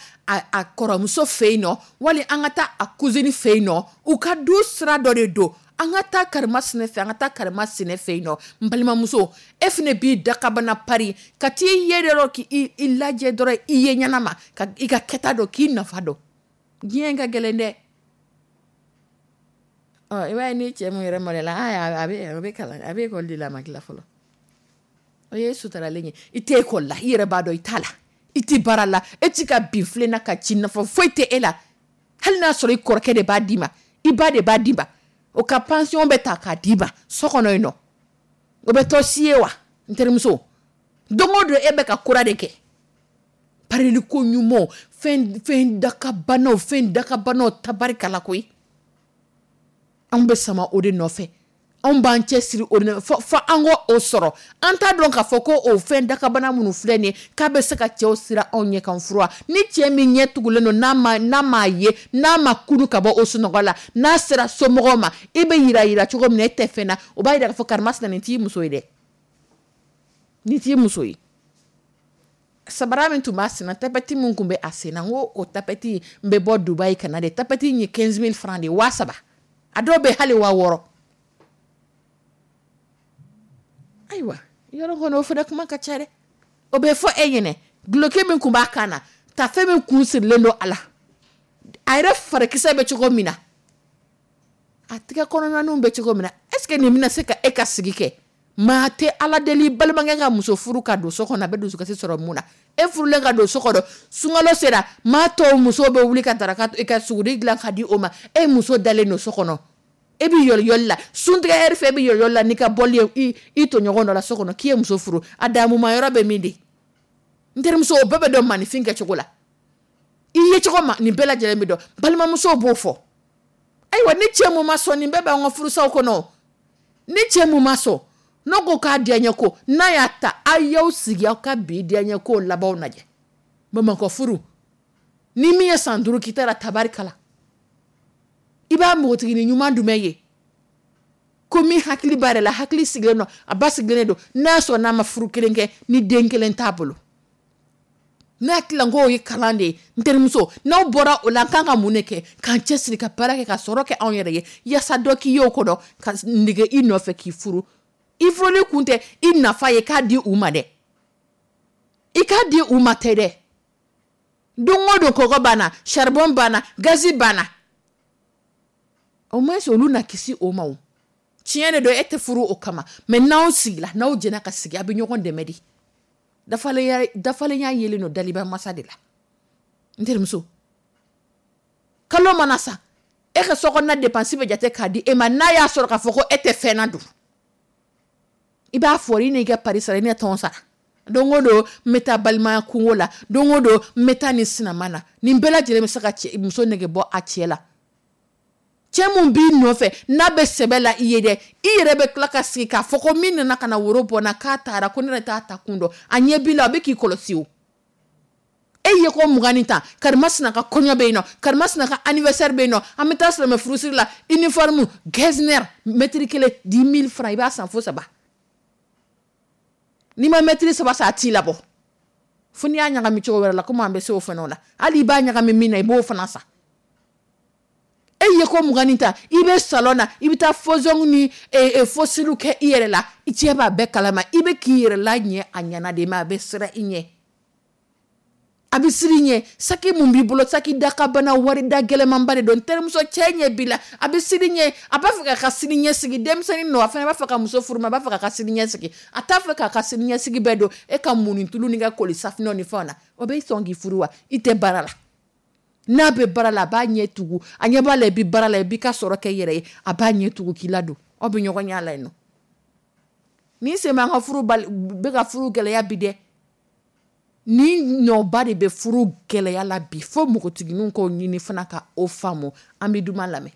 S2: a kɔrɔmuso fɛ yen nɔ, wali an ka taa a cousine fɛ yen nɔ, u ka du sira dɔ de don, an ka taa karimasina fɛ, an ka taa karimasina fɛ yen nɔ. N balimamuso, e fana b'i dakabana pari ka t'i ye dɔrɔn, k'i lajɛ dɔrɔn, i ye ɲɛnama ka i ka kɛta dɔn, k'i nafa dɔn. Diɲɛ ka gɛlɛn dɛ. Ɔ, i b'a ye ni cɛ min yɛrɛ maloyala, a bɛ a bɛ kalan, a bɛ ekɔli de la, a ma tila fɔlɔ. O ye sutaralen ye. I tɛ ekɔli la, i yɛrɛ b'a dɔn i t'a la, i tɛ baara la, e t'i ka bin filen na ka ci, nafa foyi tɛ e la. Hali n'a sɔrɔ i kɔrɔkɛ de b'a d'i ma, i ba de b'a d'i ma, o ka pension bɛ ta k'a d'i ma so kɔnɔ yen nɔ, o bɛ tɔ si ye wa? N terimuso, don o don e bɛ ka kura de kɛ, parili ko ɲumanw, fɛn fɛn dakabanaw, fɛn dakabanaw, tabarikala koyi. Anw bɛ sama o de nɔfɛ, anw b'an cɛ siri o de fo fo an k'o sɔrɔ. An t'a dɔn k'a fɔ ko o fɛn dakabana minnu filɛ nin ye, k'a bɛ se ka cɛw sira anw ɲɛ kan furu. Ni cɛ min ɲɛ tugulen don, n'a ma n'a m'a ye, n'a ma kunu ka bɔ o sunɔgɔ la, n'a sera somɔgɔw ma, i bɛ yira yira cogo min na e tɛ fɛn na, o b'a yira k'a fɔ karimasina nin t'i muso ye dɛ, nin t'i muso ye. Sabara min tun b'a senna, tapette min tun bɛ a senna, n ko o tapette n bɛ bɔ Dubayi ka na de. Tapette in ye quinze mille francs de ye, waa saba, a dɔw bɛ hali waa wɔɔrɔ. Ayiwa, yɔrɔ kɔni, o fana kuma ka ca dɛ. O bɛ fɔ e ɲɛnɛ, duloki min tun b'a kan na, tafe min kun sirilen don a la, a yɛrɛ farikisɛ bɛ cogo min na, a tɛgɛ kɔnɔnaninw bɛ cogo min na, est ce que nin bɛna se ka e ka sigi kɛ? Maa tɛ Ala deli balimakɛ ka muso furu ka don so kɔnɔ, a bɛ dusukasi sɔrɔ mun na? E furulen ka don so kɔnɔ, sunkalo sera, maa tɔw muso bɛ wuli ka daraka, i ka suguri dilan ka di o ma, e muso dalen don so kɔnɔ, e bɛ yɔliyɔli la suntigɛ ɛri fɛ, e bɛ yɔliyɔli la n'i ka bɔli ye i tɔɲɔgɔn dɔ la so kɔnɔ, k'i ye muso furu, a damuma yɔrɔ bɛ min de? N terimuso, o bɛɛ bɛ dɔn maninfin kɛcogo la, i ye cogo ma, nin bɛɛ lajɛlen bɛ dɔn. Balimamusow b'o fɔ. Ayiwa, ni cɛ mun ma sɔn, nin bɛɛ b'an ka furusaw kɔnɔ. Ni cɛ mun ma sɔn, n'o ko k'a diyaɲɛ ko n'a y'a ta, a y'aw sigi aw ka bi diyaɲɛ ko labanw lajɛ. Bamakɔ furu, ni min ye san duuru k'i ta la, tabarikala, i b'a npogotiginin ɲuman jumɛn ye ko min hakili b'a yɛrɛ la, hakili sigilen don, a ba sigilen don, n'a sɔrɔ n'a ma furu kelen kɛ, ni den kelen t'a bolo? Ne hakili la k'o ye kalan de ye. N terimuso, n'aw bɔra o la, an kan ka mun de kɛ? K'an cɛsiri ka baara kɛ, ka sɔrɔ kɛ anw yɛrɛ ye, yaasa dɔ k'i ye o kɔnɔ ka nege i nɔfɛ k'i furu. I furuli kun tɛ i nafa ye k'a di u ma dɛ, i k'a di u ma tɛ dɛ. Don o don kɔgɔ banna, charbon banna, gazi banna, au moins olu na kisi o ma. O Tiɲɛ de don, e tɛ furu o kama, mais n'aw sigila, n'aw jɛna ka sigi, a bɛ ɲɔgɔn dɛmɛ de. Dafalenya dafalenya yelen don daliba masa de la. N terimuso, kalo mana sa, e ka sokɔnɔna dépense bɛ jate k'a di e ma. N'a y'a sɔrɔ k'a fɔ ko e tɛ fɛn na dun, i b'a fɔ i n'i ka pari sara, i ni tɔn sara. Don o don n bɛ taa balimaya kungo la, don o don n bɛ taa nin sinama na. Nin bɛɛ lajɛlen bɛ se ka cɛ muso nege bɔ a cɛ la. Cɛ mun b'i nɔfɛ n'a bɛ sɛbɛ la i ye dɛ, i yɛrɛ bɛ tila ka sigi k'a fɔ ko min nana ka na woro bɔ n na k'a taara, ko ne yɛrɛ t'a ta kun dɔn. A ɲɛ b'i la, a bɛ k'i kɔlɔsi. O e ye ko mugan ni tan, karimasina ka kɔɲɔ bɛ yen nɔ, karimasina ka anniversaire bɛ yen nɔ, an bɛ taa silamɛ furusiri la, uniforme Getzner mètre kelen dix mille francs, i b'a san fo saba. N'i ma mètre saba san, a t'i labɔ fo n'i y'a ɲagami cogo wɛrɛ la. Komi an bɛ se o fana la, hali i b'a ɲagami min na, i b'o fana san. E ye ko mugan ni tan, i bɛ salon na, i bɛ taa faux ongles ni faux cils kɛ i yɛrɛ la, i cɛ b'a bɛɛ kalama. I bɛ k'i yɛrɛ la ɲɛ a ɲɛna de, mais a bɛ siran i ɲɛ, a bɛ siran i ɲɛ. Saki mun b'i bolo, saki dakabana wari da gɛlɛmanba de don. N terimuso, cɛ ɲɛ b'i la, a bɛ siran i ɲɛ, a b'a fɛ k'a ka sini ɲɛsigi. Denmisɛnnin don, a fana b'a fɛ ka muso furu, ma a b'a fɛ k'a ka sini ɲɛsigi. A t'a fɛ k'a ka sini ɲɛsigi bɛɛ don e ka munni tulu ni ka koli safinɛ ni fɛnw na. O bɛ sɔn k'i furu wa? I tɛ baara la. N'a bɛ baara la, a b'a ɲɛ tugu, a ɲɛ b'a la i bɛ baara la, i b'i ka sɔrɔ kɛ i yɛrɛ ye, a b'a ɲɛ tugu k'i ladon, aw bɛ ɲɔgɔn ɲɛ la yen nɔ. Ni sen b'an ka furu bɛ ka furu gɛlɛya bi dɛ. Ni nɔba de bɛ furu gɛlɛya la bi, fo npogotigininw k'o ɲini fana ka o faamu. An bɛ duman lamɛn.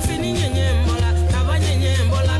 S3: Bimiri ɲɛɲɛ bɔla, kaba ɲɛɲɛ bɔla.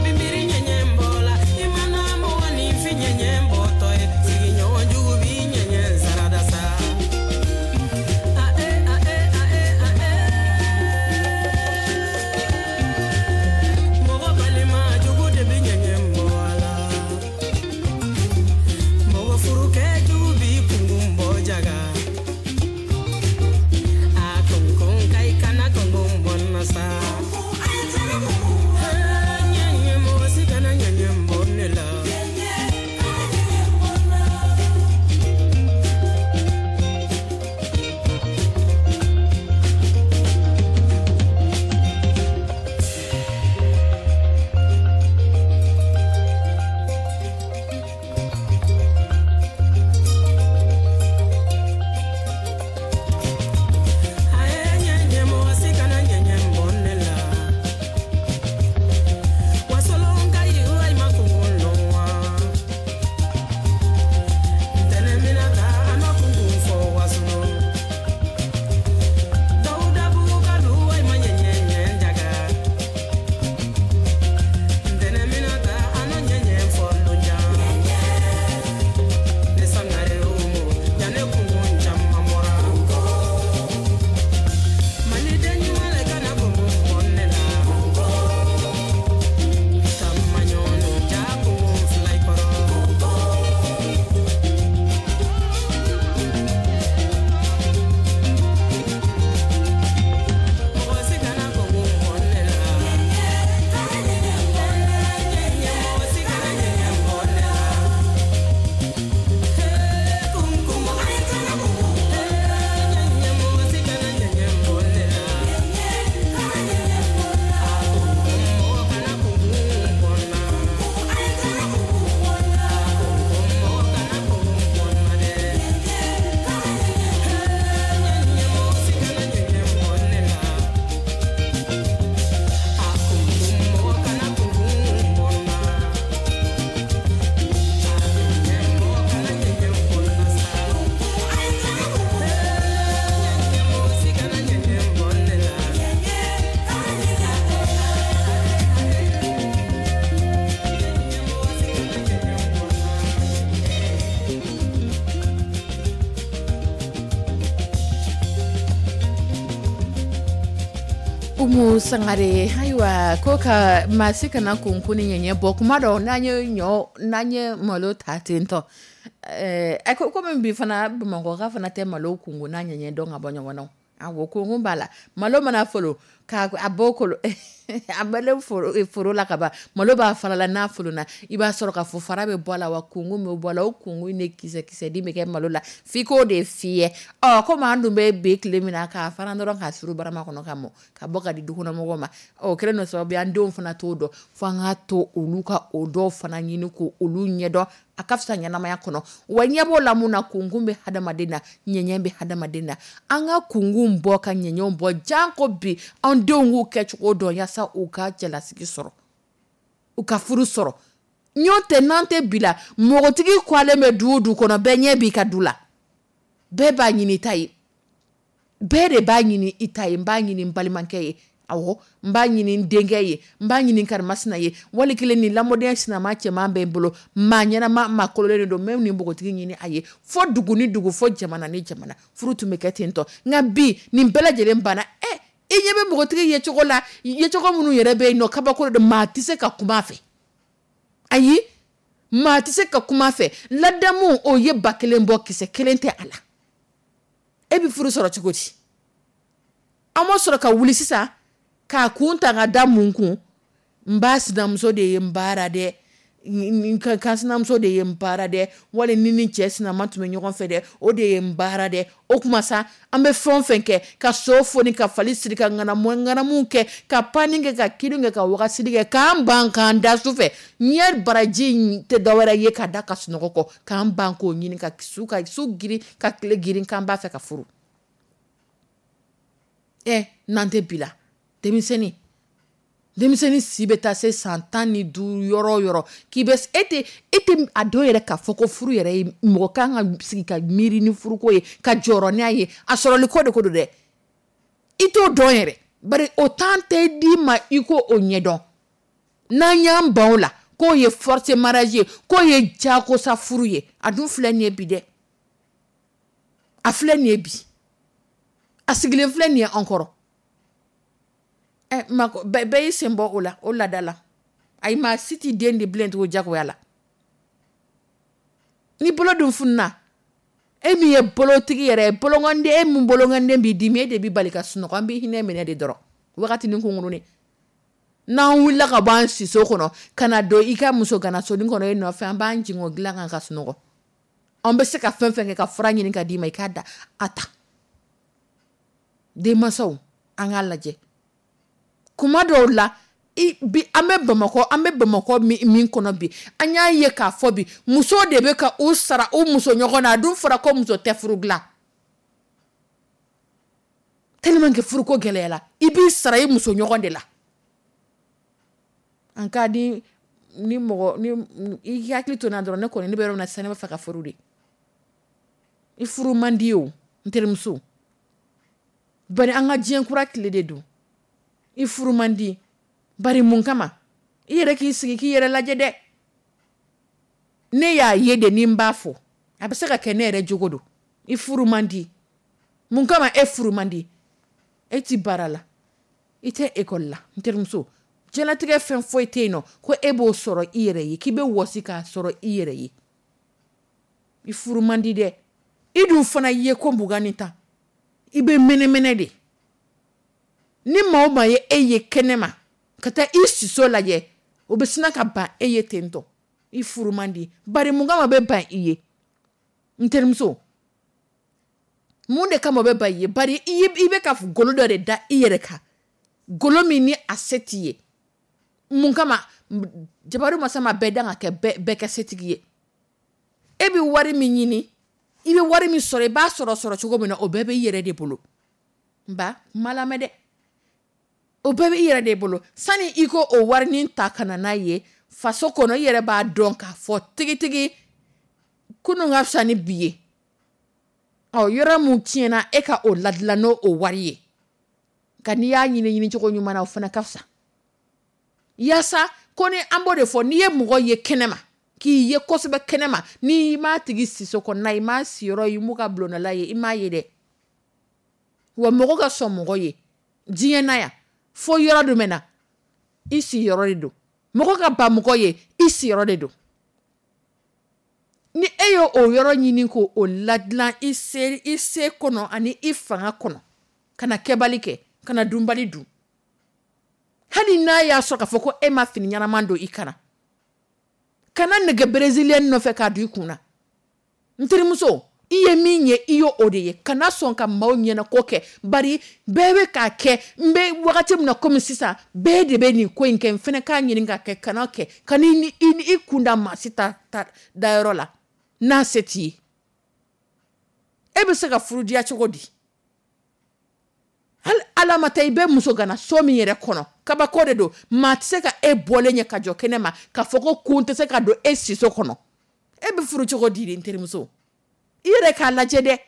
S2: Umu Sangare, ayiwa, ko ka maa si kana kunkun ni ɲɛɲɛ bɔ. Kuma dɔ, n'an ye ɲɔ, n'an ye malo ta ten tɔ, ɛɛ ko komi bi fana Bamakɔka fana tɛ malo kunkun n'a ɲɛɲɛ dɔn ka bɔ ɲɔgɔn na. Awɔ, kunkun b'a la. Malo mana folo k'a a bɔ kolo, a bɔlen foro foro la ka ban, malo b'a fara la. N'a folona, i b'a sɔrɔ k'a fɔ fara bɛ bɔ a la, wa kunkun bɛ bɔ a la. O kunkun de kisɛ kisɛden bɛ kɛ malo la f'i k'o de fiyɛ. Ɔ, komi an dun bɛ bi tile min na, k'a fara dɔrɔn k'a suru barama kɔnɔ ka mɔ ka bɔ ka di dukɔnɔmɔgɔw ma. Ɔ, kɛlen don sababu ye, an denw fana t'o dɔn, fo an k'a to olu ka o dɔw fana ɲini ko olu ɲɛdɔn. A ka fisa ɲɛnamaya kɔnɔ. Wa ɲɛ b'o la mun na? Kunkun bɛ hadamaden na, ɲɛɲɛ bɛ hadamaden na. An ka kunkun bɔ ka ɲɛɲɛw bɔ, janko bi an denw k'u kɛcogo dɔn, yaasa u ka cɛlasigi sɔrɔ, u ka furu sɔrɔ. Ɲɔ tɛ n'an tɛ bi la, mɔgɔtigi kɔlen bɛ du o du kɔnɔ, bɛɛ ɲɛ b'i ka du la, bɛɛ b'a ɲini i ta ye, bɛɛ de b'a ɲini i ta ye. N b'a ɲini n balimakɛ ye, awɔ, n b'a ɲini n denkɛ ye, n b'a ɲini karimasina ye. Wali kelen ni lamɔden sinama cɛman bɛ n bolo, maa ɲɛnama, maa kololen de don, n bɛ nin npogotigi ɲini a ye. Fo dugu ni dugu, fo jamana ni jamana, furu tun bɛ kɛ ten tɔ. Nka bi, nin bɛɛ lajɛlen banna. Ɛ, i ɲɛ bɛ npogotigi yecogo la, yecogo minnu yɛrɛ bɛ yen nɔ, kabako de don. Maa tɛ se ka kuma a fɛ, ayi, maa tɛ se ka kuma a fɛ. Ladamu, o ye ba kelen bɔ, kisɛ kelen tɛ a la. E bɛ furu sɔrɔ cogo di? An ma sɔrɔ ka wuli sisan k'a kun ta ka da mun kun? N ba sinamuso de ye n baara dɛ, ka sinamuso de ye n baara dɛ, wali ni ni cɛ sinama tun bɛ ɲɔgɔn fɛ dɛ, o de ye n baara dɛ. O kuma sa, an bɛ fɛn o fɛn kɛ, ka so foni, ka fali siri, ka ŋanamu ŋanamu kɛ, ka panni kɛ, ka kirin kɛ, ka wagasili kɛ, k'an ban k'an da su fɛ, ɲɛ baraji tɛ dɔwɛrɛ ye ka da ka sunɔgɔ kɔ, k'an ban k'o ɲini, ka su ka su girin, ka tile girin, k'an b'a fɛ ka furu. Ɛ, n'an tɛ bi la, denmisɛnnin denmisɛnnin si bɛ taa se san tan ni duuru yɔrɔ o yɔrɔ, k'i bɛ e tɛ e tɛ a dɔn yɛrɛ k'a fɔ ko furu yɛrɛ ye mɔgɔ kan ka sigi ka miiri ni furuko ye, ka jɔrɔ n'a ye, a sɔrɔli ko de ko don dɛ. I t'o dɔn yɛrɛ, bari o temps tɛ d'i ma i ko o ɲɛdɔn. N'an y'an ban o la, k'o ye forcé mariage ye, k'o ye jagosa furu ye, a dun filɛ nin ye bi dɛ, a filɛ nin ye bi, a sigilen filɛ nin ye an kɔrɔ. Ɛ, bɛɛ y'i sen bɔ o la, o laada la. Ayi, maa si t'i den di bilen tugun jagoya la. Ni bolo dun fununa, e min ye bolotigi yɛrɛ ye, bolonkɔnden, e min bolonkɔnden b'i dimi, e de b'i bali ka sunɔgɔ. An b'i hinɛ minɛ de dɔrɔn wagati ni kunkurunin. N'an wulila ka bɔ an siso kɔnɔ ka na don i ka muso ganasonin kɔnɔ e nɔfɛ, an b'an jigin o dilan kan ka sunɔgɔ. An bɛ se ka fɛn fɛn kɛ ka fura ɲini ka d'i ma, i k'a da a ta. Denmansaw, an k'a lajɛ kuma dɔw la bi, an bɛ Bamakɔ, an bɛ Bamakɔ min kɔnɔ bi, an y'a ye k'a fɔ bi, muso de bɛ ka u sara u muso ɲɔgɔn na. A dun fɔra ko muso tɛ furu dilan, tellement que furuko gɛlɛyara, i b'i sara i muso ɲɔgɔn de la. An ka di ni mɔgɔ ni i hakili to n na dɔrɔn, ne kɔni ne bɛ yɔrɔ min na sisan, ne b'a fɛ ka furu de. I furu man di o, n terimuso, bari an ka diɲɛ kura tile de don. I furu man di, bari mun kama? I yɛrɛ k'i sigi k'i yɛrɛ lajɛ dɛ. Ne y'a ye de, ni n b'a fɔ, a bɛ se ka kɛ ne yɛrɛ jogo don. I furu man di mun kama? E furu man di, e ti baara la, i tɛ ekɔli la, n terimuso. Diɲɛlatigɛ fɛn foyi tɛ yen nɔ ko e b'o sɔrɔ i yɛrɛ ye, k'i bɛ wɔsi k'a sɔrɔ i yɛrɛ ye. I furu man di dɛ. I dun fana ye ko mugan ni tan, i bɛ mɛnɛmɛnɛ de. Ni maa o maa ye e ye kɛnɛma ka taa i siso lajɛ, o bɛ sina ka ban e ye ten tɔ. I furu man di, bari mun kama bɛ ban i ye, n terimuso? Mun de kama o bɛ ban i ye? Bari i bɛ ka golo dɔ de da i yɛrɛ kan, golo min ni a se t'i ye. Mun kama jabaru masa ma bɛɛ dan ka kɛ bɛɛ kɛ setigi ye? E bɛ wari min ɲini, i bɛ wari min sɔrɔ, i b'a sɔrɔ sɔrɔ cogo min na, o bɛɛ bɛ i yɛrɛ de bolo. N ba, kuma lamɛn dɛ, o bɛɛ bɛ i yɛrɛ de bolo. Sani i ko o warinin ta ka na n'a ye faso kɔnɔ, i yɛrɛ b'a dɔn k'a fɔ tigitigi kunun ka fisa ni bi ye. Ɔ, yɔrɔ mun tiɲɛna, e ka o ladilan n'o o wari ye. Nka n'i y'a ɲini ɲini cogo ɲuman na, o fana ka fisa. Yaasa ko ni an b'o de fɔ, n'i ye mɔgɔ ye kɛnɛma, k'i ye kosɛbɛ kɛnɛma, n'i m'a tigi siso kɔnɔna, i m'a siyɔrɔ ye, i m'u ka bulondala ye, i m'a ye dɛ. Wa mɔgɔ ka sɔn mɔgɔ ye diɲɛ na yan, Fo yɔrɔ jumɛn na? I siyɔrɔ de don. Mɔgɔ ka ban mɔgɔ ye, i siyɔrɔ de don. Ni e ye o yɔrɔ ɲini ko o ladilan i se i se kɔnɔ ani i fanga kɔnɔ, kana kɛbali kɛ, kana dunbali dun. Hali n'a y'a sɔrɔ k'a fɔ ko e ma fini ɲɛnama don i kana, kana nɛgɛ brésilien nɔfɛ k'a don i kun na. N terimuso, i ye min ye, i ye o de ye. Kana sɔn ka maaw ɲɛnako kɛ, bari bɛɛ bɛ k'a kɛ. N bɛ wagati min na komi sisan, bɛɛ de bɛ nin ko in kɛ, n fana k'a ɲini k'a kɛ. Kana kɛ, kana i i kun da maa si ta ta dayɔrɔ la n'a se t'i ye. E bɛ se ka furu diya cogo di? Hali ala ma taa, i bɛ muso gana so min yɛrɛ kɔnɔ, kabako de don. Maa tɛ se ka e bɔlen ye ka jɔ kɛnɛ ma k'a fɔ ko kun tɛ se ka don e siso kɔnɔ. E bɛ furu cogo di de? N terimuso, i yɛrɛ k'a lajɛ dɛ.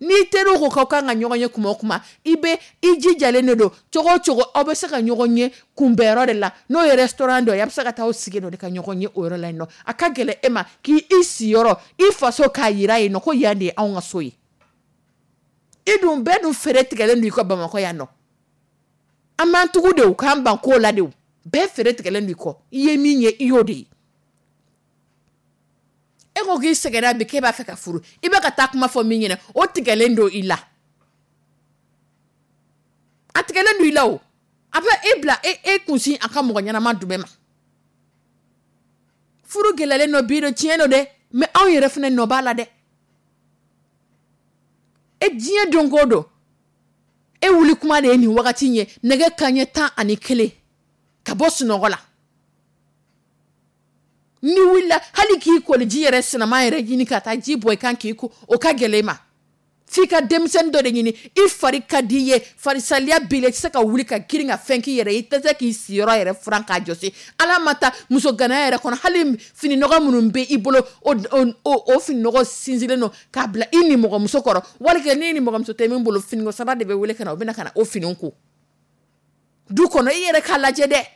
S2: N'i teriw ko k'aw kan ka ɲɔgɔn ye kuma o kuma, i bɛ i jijalen de don cogo o cogo, aw bɛ se ka ɲɔgɔn ye kunbɛnyɔrɔ de la, n'o ye restaurant dɔ ye, a bɛ se ka taa aw sigi dɔ de ka ɲɔgɔn ye o yɔrɔ la yen nɔ. A ka gɛlɛn e ma k'i i siyɔrɔ, i faso k'a yira yen nɔ ko yan de ye anw ka so ye. I dun bɛɛ dun fɛrɛ tigɛlen don i ka Bamakɔ yan nɔ. An b'an tugu de, k'an ban ko la de. Bɛɛ fɛrɛ tigɛlen don i kɔ. I ye min ye, i y'o de ye. E ko k'i sɛgɛnna bi, k'e b'a fɛ ka furu, i bɛ ka taa kuma fɔ min ɲɛna, o tigɛlen don i la. A tigɛlen don i la. O a bɛ e bila e e kunsin a ka mɔgɔ ɲɛnama jumɛn ma? Furu gɛlɛyalen don bi, don tiɲɛ don dɛ, mais anw yɛrɛ fana nɔ b'a la dɛ. E diɲɛ don ko don, e wuli kuma de ye nin wagati in ye, nɛgɛ kanɲɛ tan ani kelen, ka bɔ sunɔgɔ la. Ni wulila, hali k'i koliji yɛrɛ sinama yɛrɛ ɲini ka taa ji bɔ i kan k'i ko, o ka gɛlɛn i ma. F'i ka denmisɛnnin dɔ de ɲini. I fari ka di i ye, farisaliya b'i la, i tɛ se ka wuli ka girin ka fɛn k'i yɛrɛ ye, i tɛ se k'i siyɔrɔ yɛrɛ furan k'a jɔsi. Ala ma taa muso ganaya yɛrɛ kɔnɔ, hali fininɔgɔ minnu bɛ i bolo, o o o fininɔgɔ sinsinlen don k'a bila i nimɔgɔmuso kɔrɔ. Wali n'i nimɔgɔmuso tɛ min bolo, finiko saba de bɛ wele ka na, o bɛ na ka na o finiw ko du kɔnɔ. I yɛrɛ k'a lajɛ dɛ,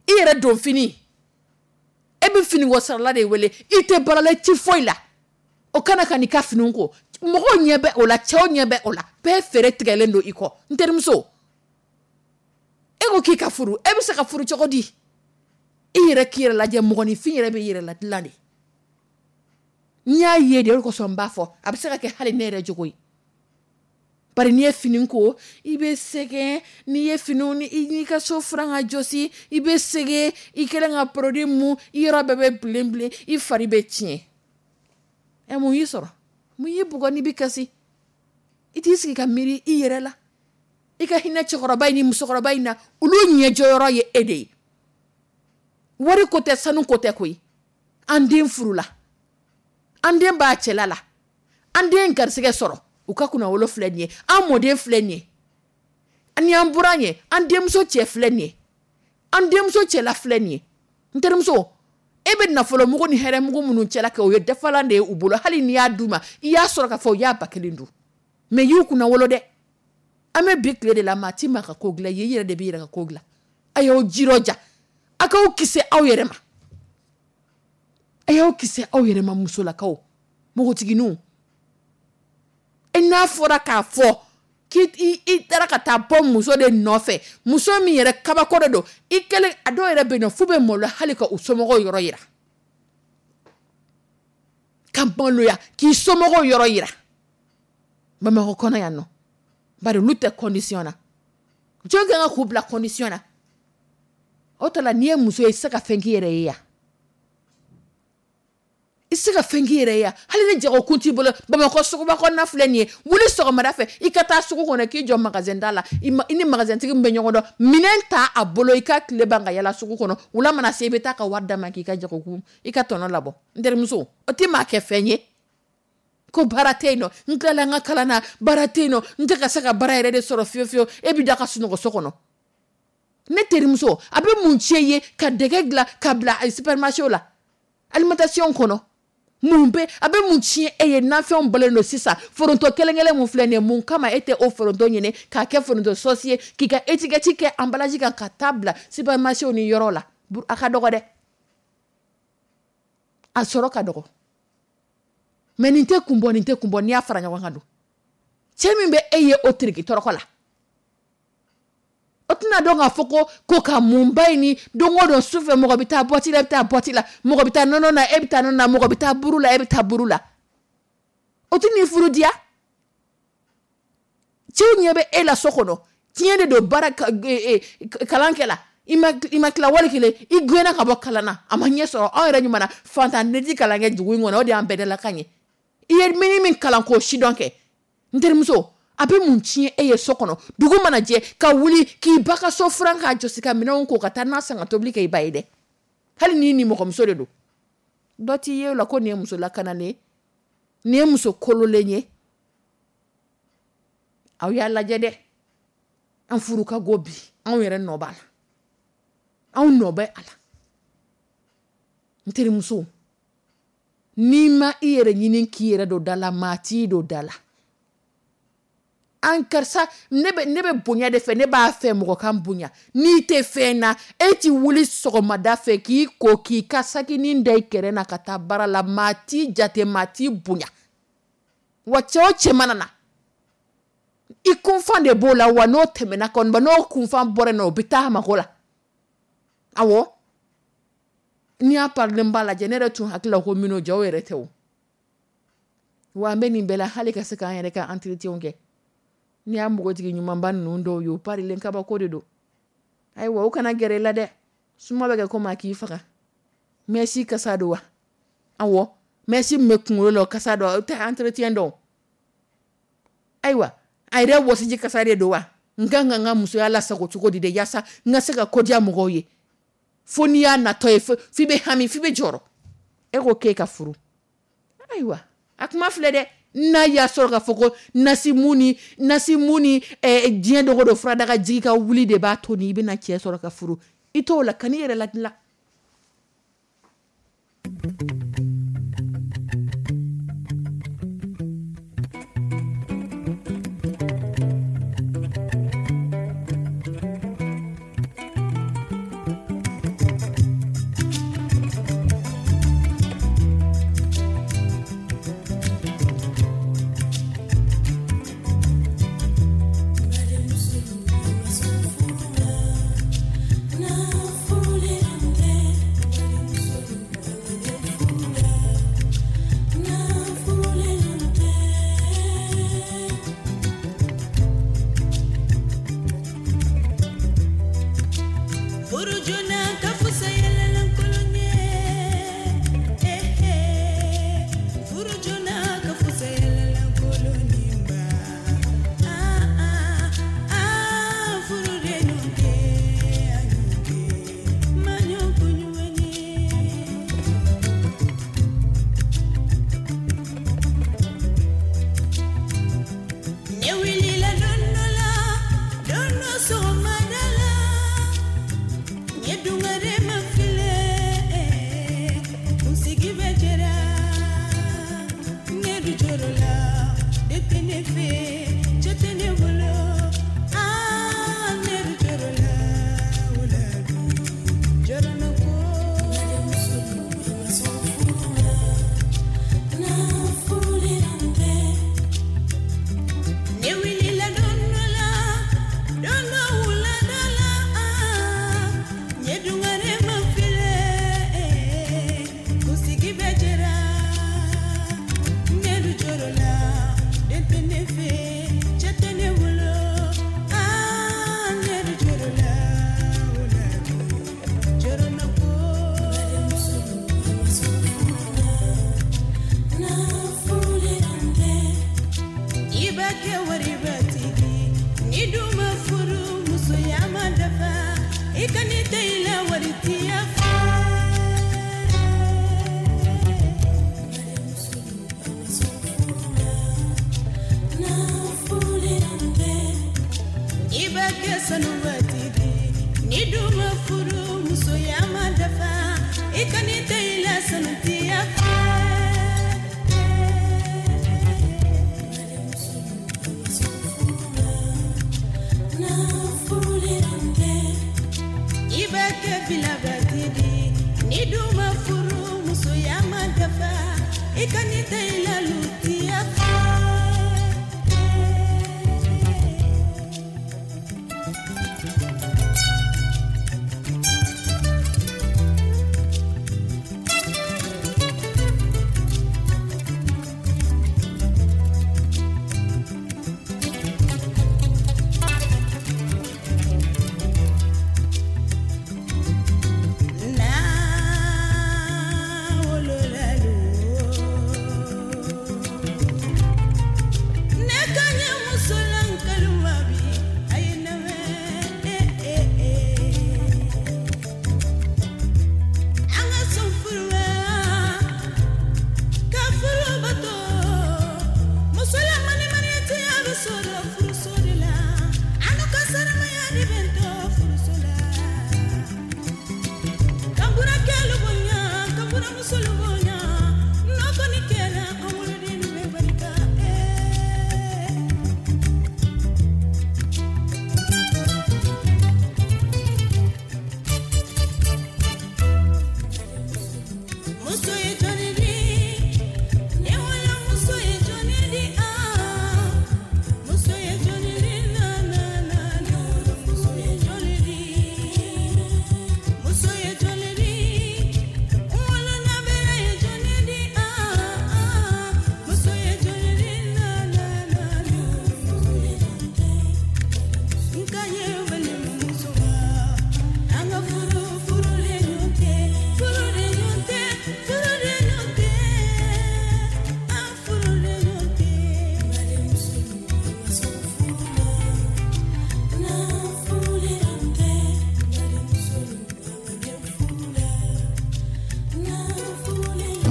S2: i yɛrɛ don fini, e bɛ finiko sarala de wele. I tɛ baara la, i ti foyi la, o kana ka n'i ka finiw ko. Mɔgɔw ɲɛ bɛ o la, cɛw ɲɛ bɛ o la, bɛɛ fɛɛrɛ tigɛlen don i kɔ. N terimuso, e ko k'i ka furu, e bɛ se ka furu cogo di? I yɛrɛ k'i yɛrɛ lajɛ. Mɔgɔninfin yɛrɛ bɛ yɛrɛ ladilan de. N y'a ye de, o de kosɔn n b'a fɔ, a bɛ se ka kɛ hali ne yɛrɛ jogo ye. Bari n'i ye fini ko, i bɛ sɛgɛn. N'i ye finiw ni i ka so furan ka jɔsi, i bɛ sɛgɛn. I kɛlen ka produit mun, i yɔrɔ bɛɛ bɛ bilen bilen, i fari bɛ tiɲɛ. Ɛ, mun y'i sɔrɔ? Mun y'i bugɔ n'i bɛ kasi? I t'i sigi ka miiri i yɛrɛ la. I ka hinɛ cɛkɔrɔba in ni musokɔrɔba in na, olu ɲɛjɔyɔrɔ ye e de ye. Wari ko tɛ, sanu ko tɛ koyi. An den furula, an den b'a cɛla la, an den garisɛgɛ sɔrɔ, u ka kunna wolo filɛ nin ye, an mɔden filɛ nin ye, ani an buran ye, an denmuso cɛ filɛ nin ye, an denmuso cɛla filɛ nin ye. N terimuso, e bɛ nafolomugu ni hɛrɛmugu minnu cɛla kɛ, o ye dafalan de ye u bolo. Hali n'i y'a d'u ma, i y'a sɔrɔ k'a fɔ u y'a ba kelen dun, mais y'u kunna wolo dɛ. An bɛ bi tile de la, maa ti maa ka ko dilan i ye, i yɛrɛ de b'i yɛrɛ ka ko dilan. A y'aw jirɔja, a k'aw kisi aw yɛrɛ ma, a y'aw kisi aw yɛrɛ ma. Musolakaw, npogotigininw, e n'a fɔra k'a fɔ k'i i taara ka taa bɔ muso de nɔfɛ, muso min yɛrɛ kabako de don i kɛlen. A dɔw yɛrɛ bɛ yen nɔ, f'u bɛ maloya hali ka u somɔgɔw yɔrɔ yira, ka maloya k'i somɔgɔw yɔrɔ yira Bamakɔ kɔnɔ yan nɔ, bari olu tɛ condition na. Jɔn kan ka k'u bila condition na? O tɔ la, n'i ye muso ye, i tɛ se ka fɛn k'i yɛrɛ ye yan, i tɛ se ka fɛn k'i yɛrɛ ye yan. Hali ni jagokun t'i bolo, Bamakɔ suguba kɔnɔna filɛ nin ye, wuli sɔgɔmada fɛ, i ka taa sugu kɔnɔ, k'i jɔ magasin da la, i ni magasintigi min bɛ ɲɔgɔn dɔn, minɛn ta a bolo, i ka tile ban ka yala sugu kɔnɔ. Wula mana se, i bɛ taa ka wari d'a ma k'i ka jagokun, i ka tɔnɔ labɔ. N terimuso, o tɛ maa kɛ fɛn ye ko baara tɛ yen nɔ. N tilala n ka kalan na, baara tɛ yen nɔ, n tɛ ka se ka baara yɛrɛ de sɔrɔ fiyewu fiyewu. E bɛ da ka sunɔgɔ so kɔnɔ. Ne terimuso, a bɛ mun tiɲɛ ye ka dɛgɛ dilan ka bila supermarché la, alimentation kɔnɔ? Mun bɛ a bɛ mun tiɲɛ e ye? Nafɛnw bɔlen don sisan, foronto kelen kelen mun filɛ nin ye, mun kama e tɛ o foronto ɲini k'a kɛ foronto sauce ye, k'i ka étiquette kɛ emballage kan, ka taa bila supermarché ni yɔrɔ la? A ka dɔgɔ dɛ, a sɔrɔ ka dɔgɔ, mais nin tɛ kun bɔ, nin tɛ kun bɔ. N'i y'a fara ɲɔgɔn kan don, cɛ min bɛ e ye o tiriki tɔrɔkɔ la, O tɛna dɔn k'a fɔ ko ko ka munba in ni don o don sufɛ mɔgɔ bɛ taa boîte la, e bɛ taa boîte la, mɔgɔ bɛ taa nɔnɔ na, e bɛ taa nɔnɔ na, mɔgɔ bɛ taa buru la, e bɛ taa buru la. O tɛ n'i furu diya. Cɛw ɲɛ bɛ e la so kɔnɔ, tiɲɛ de don baara kalan kɛ la, i ma i ma tila wali kelen i gɛnna ka bɔ kalan na, a ma ɲɛ sɔrɔ. Anw yɛrɛ ɲuman na fantan ne ti kalan kɛ dugu in kɔnɔ, o de y'an bɛɛ dalakan ye. I ye min min kalan k'o sidɔn kɛ, n terimuso, a bɛ mun tiɲɛ e ye so kɔnɔ? Dugu mana jɛ ka wuli k'i ba ka so furan k'a jɔsi ka minɛnw ko ka taa n'a san ka tobili kɛ i ba ye dɛ. Hali n'i nimɔgɔmuso de don, dɔ t'i ye o la ko nin ye muso lakanalen ye, nin ye muso kololen ye. Aw y'a lajɛ dɛ, an furu ka go bi, anw yɛrɛ nɔ b'a la, anw nɔ bɛ a la. N terimuso, n'i ma i yɛrɛ ɲini k'i yɛrɛ don da la, maa t'i don da la. An karisa, ne bɛ ne bɛ bonya de fɛ, ne b'a fɛ mɔgɔ ka n bonya. N'i tɛ fɛn na, e ti wuli sɔgɔmada fɛ k'i ko k'i ka sakinin da i kɛrɛ na ka taa baara la, maa t'i jate, maa t'i bonya. Wa cɛ o cɛ mana na, i kunfan de b'o la, wa n'o tɛmɛna kɔni, n'o kunfan bɔra yen nɔ, o bɛ taa a mako la. Awɔ, n'i y'a parilen ba lajɛ, ne yɛrɛ tun hakili la ko minnu jɔw yɛrɛ tɛ o. Wa an bɛ nin bɛɛ la hali ka se k'an yɛrɛ ka entretien kɛ. N'i y'a npogotigi ɲumanba ninnu dɔw ye, o parilen kabako de don. Ayiwa, o kana gɛrɛ i la dɛ, suma bɛ kɛ komi a k'i faga. Mɛsi kasa don wa? Awɔ, mɛsi min bɛ kunkolo la o kasa don, o tɛ entretien dɔn. Ayiwa, a yɛrɛ wɔsiji kasa de don wa? N kan ka n ka musoya lasago cogo di de, yaasa n ka se ka kodiya mɔgɔw ye? Fo n'i y'a natɔ ye, f'i bɛ hami, f'i bɛ jɔrɔ. E ko k'e ka furu. Ayiwa, a kuma filɛ dɛ. N'a y'a sɔrɔ k'a fɔ ko nasimu ni nasimu ni diɲɛ dogo don furadaga jigi ka wuli de b'a to ni i bɛna cɛ sɔrɔ ka furu, i t'o la, kan'i yɛrɛ ladilan.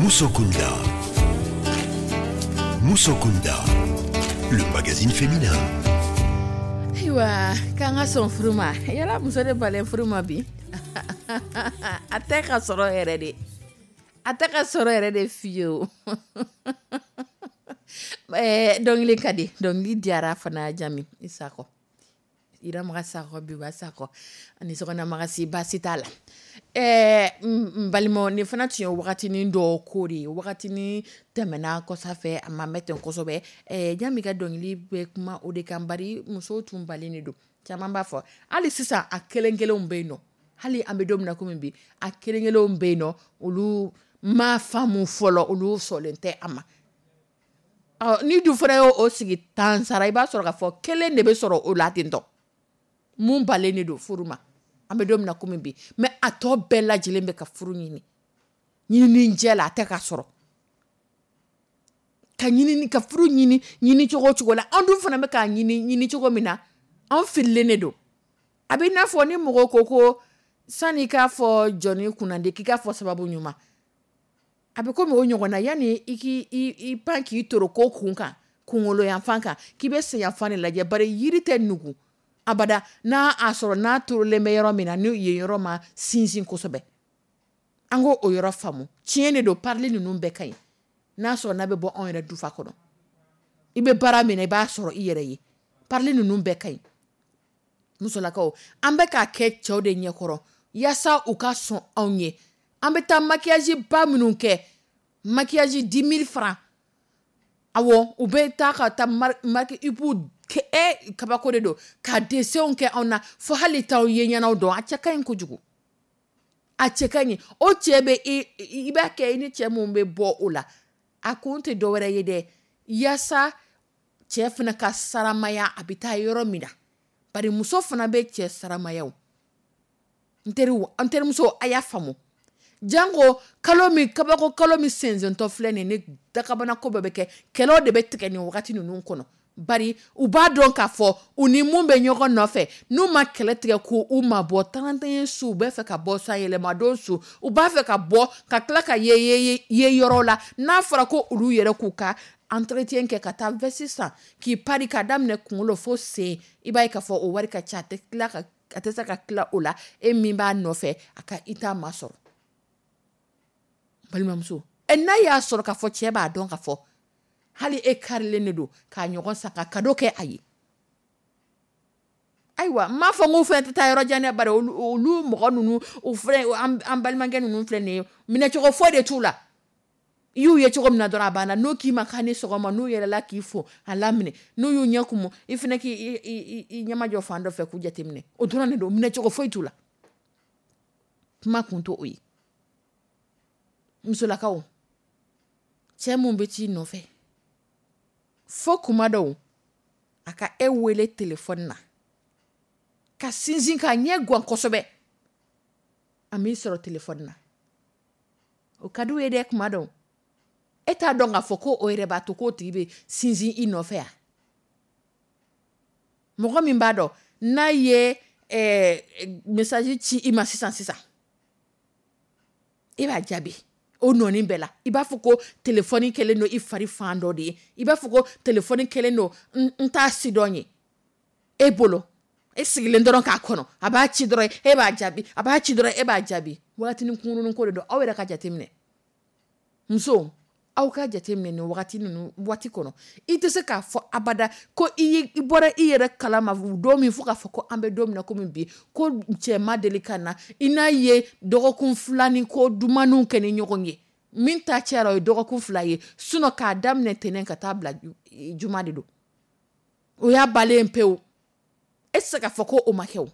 S1: Musokunda. Musokunda, le magazine féminin.
S2: Ayiwa, k'an ka sɔn furu ma. Yala muso de balen furu ma bi? A tɛ ka sɔrɔ yɛrɛ de, a tɛ ka sɔrɔ yɛrɛ de fiyewu. Ɛɛ dɔnkili ka di, dɔnkili diyara fana. Jami i Sakɔ, Iramaga Sakɔ, Biba Sakɔ ani sokɔnɔmaga si baasi t'a la. Ɛɛ n balimaw, nin fana tun ye wagatinin dɔ ko de ye, wagatinin tɛmɛna kɔsa fɛ, a ma mɛn ten kosɛbɛ. Ɛɛ Jami ka dɔnkili bɛ kuma o de kan, bari musow tun balen de don. Caman b'a fɔ hali sisan a kelen kelenw bɛ yen nɔ, hali an bɛ don min na komi bi, a kelen kelenw bɛ yen nɔ, olu ma faamu fɔlɔ, olu sɔnlen tɛ a ma. Ɔ ni dun fana y'o sigi tan sara, i b'a sɔrɔ k'a fɔ kelen de bɛ sɔrɔ o la ten tɔ mun balen de don furu ma an bɛ don min na komi bi. Mais a tɔ bɛɛ lajɛlen bɛ ka furu ɲini ɲinini jɛ la, a tɛ ka sɔrɔ ka ɲini ka furu ɲini ɲini cogo o cogo la. An dun fana bɛ k'a ɲini ɲini cogo min na, an fililen de don. A bɛ i n'a fɔ ni mɔgɔ ko ko sani k'a fɔ jɔnni kunnandi, k'i k'a fɔ sababu ɲuman, a bɛ komi o ɲɔgɔn na. Yanni i k'i i pan k'i toro ko kun kan, kunkolo yanfan kan, k'i bɛ sen yanfan de lajɛ, bari yiri tɛ nugu abada n'a a sɔrɔ n'a turulen bɛ yɔrɔ min na, ni yen yɔrɔ ma sinsin kosɛbɛ. An k'o o yɔrɔ faamu. Tiɲɛ de don, parili ninnu bɛɛ ka ɲi n'a sɔrɔ n'a bɛ bɔ anw yɛrɛ dufa kɔnɔ. I bɛ baara min na, i b'a sɔrɔ i yɛrɛ ye. Parili ninnu bɛɛ ka ɲi. Musolakaw, an bɛ k'a kɛ cɛw de ɲɛkɔrɔ yaasa u ka sɔn anw ye. An bɛ taa maquillage ba minnu kɛ, maquillage dix mille francs, awɔ, u bɛ taa ka taa marque ibu e kabako de don ka dessinw kɛ anw na, fo hali t'aw ye ɲɛnaw dɔn. A cɛ ka ɲi kojugu, a cɛ ka ɲi. O cɛ bɛ i i b'a kɛ i ni cɛ mun bɛ bɔ o la, a kun tɛ dɔwɛrɛ ye dɛ, yaasa cɛ fana ka saramaya a bɛ taa yɔrɔ min na, bari muso fana bɛ cɛ saramaya. O n teriw, an terimuso, a y'a faamu. Janko kalo min, kabako kalo min sensentɔ filɛ nin ni dakabana ko bɛɛ bɛ kɛ, kɛlɛw de bɛ tigɛ nin wagati ninnu kɔnɔ, bari u b'a dɔn k'a fɔ u ni mun bɛ ɲɔgɔn nɔfɛ, n'u ma kɛlɛ tigɛ k'u ma bɔ trente et un su, u b'a fɛ ka bɔ san yɛlɛmadon su, u b'a fɛ ka bɔ ka tila ka ye ye ye yɔrɔ la. N'a fɔra ko olu yɛrɛ k'u ka entretien kɛ, ka taa veste san k'i pari k'a daminɛ kunkolo fo sen, i b'a ye k'a fɔ o wari ka ca, a tɛ tila ka a tɛ se ka tila o la. E min b'a nɔfɛ, a ka i t'a masɔrɔ. Balimamuso, ɛ n'a y'a sɔrɔ k'a fɔ cɛ b'a dɔn k'a fɔ hali e karilen de don k'a ɲɔgɔn san ka cadeau kɛ a ye. Ayiwa, n m'a fɔ n ko fɛn tɛ taa yɔrɔ jan dɛ, bari olu olu mɔgɔ ninnu, u filɛ, an balimakɛ ninnu filɛ nin ye, minɛcogo foyi de t'u la. I y'u ye cogo min na dɔrɔn, a banna. N'u k'i ma k'a ni sɔgɔma, n'u yɛlɛla k'i fo, a laminɛ. N'u y'u ɲɛ kumu, i fana k'i i ɲɛmajɔ fan dɔ fɛ k'u jateminɛ. O dɔrɔn de don, minɛcogo foyi t'u la. Kuma kun t'o ye. Musolakaw, cɛ mun bɛ t'i nɔfɛ fo kuma dɔw a ka e wele telefɔni na ka sinsin k'a ɲɛ gan kosɛbɛ, a m'i sɔrɔ telefɔni na, o ka d'u ye dɛ. Kuma dɔw e t'a dɔn k'a fɔ ko o yɛrɛ b'a to k'o tigi bɛ sinsin i nɔfɛ yan. Mɔgɔ min b'a dɔn n'a ye ɛɛ message ci i ma sisan sisan, e b'a jaabi. O nɔɔni bɛɛ la, i b'a fɔ ko telefɔni kɛlen don i fari fan dɔ de ye. I b'a fɔ ko telefɔni kɛlen don n t'a sidɔn ye e bolo. E sigilen dɔrɔn k'a kɔnɔ, a b'a ci dɔrɔn, e b'a jaabi, a b'a ci dɔrɔn, e b'a jaabi. Wagatinin kunkurunnin ko de don. Aw yɛrɛ ka jateminɛ, musow, aw ka jateminɛ nin wagati ninnu waati kɔnɔ. I tɛ se k'a fɔ abada ko i i bɔra i yɛrɛ kalama don min fo k'a fɔ ko an bɛ don min na komi bi, ko cɛ ma deli ka na i n'a ye dɔgɔkun fila ni ko dumaniw kɛ ni ɲɔgɔn ye. Min ta cayara, o ye dɔgɔkun fila ye. Sinon, k'a daminɛ tɛnɛn ka taa bila juma de don, o y'a balen pewu. E tɛ se k'a fɔ ko o ma kɛ. O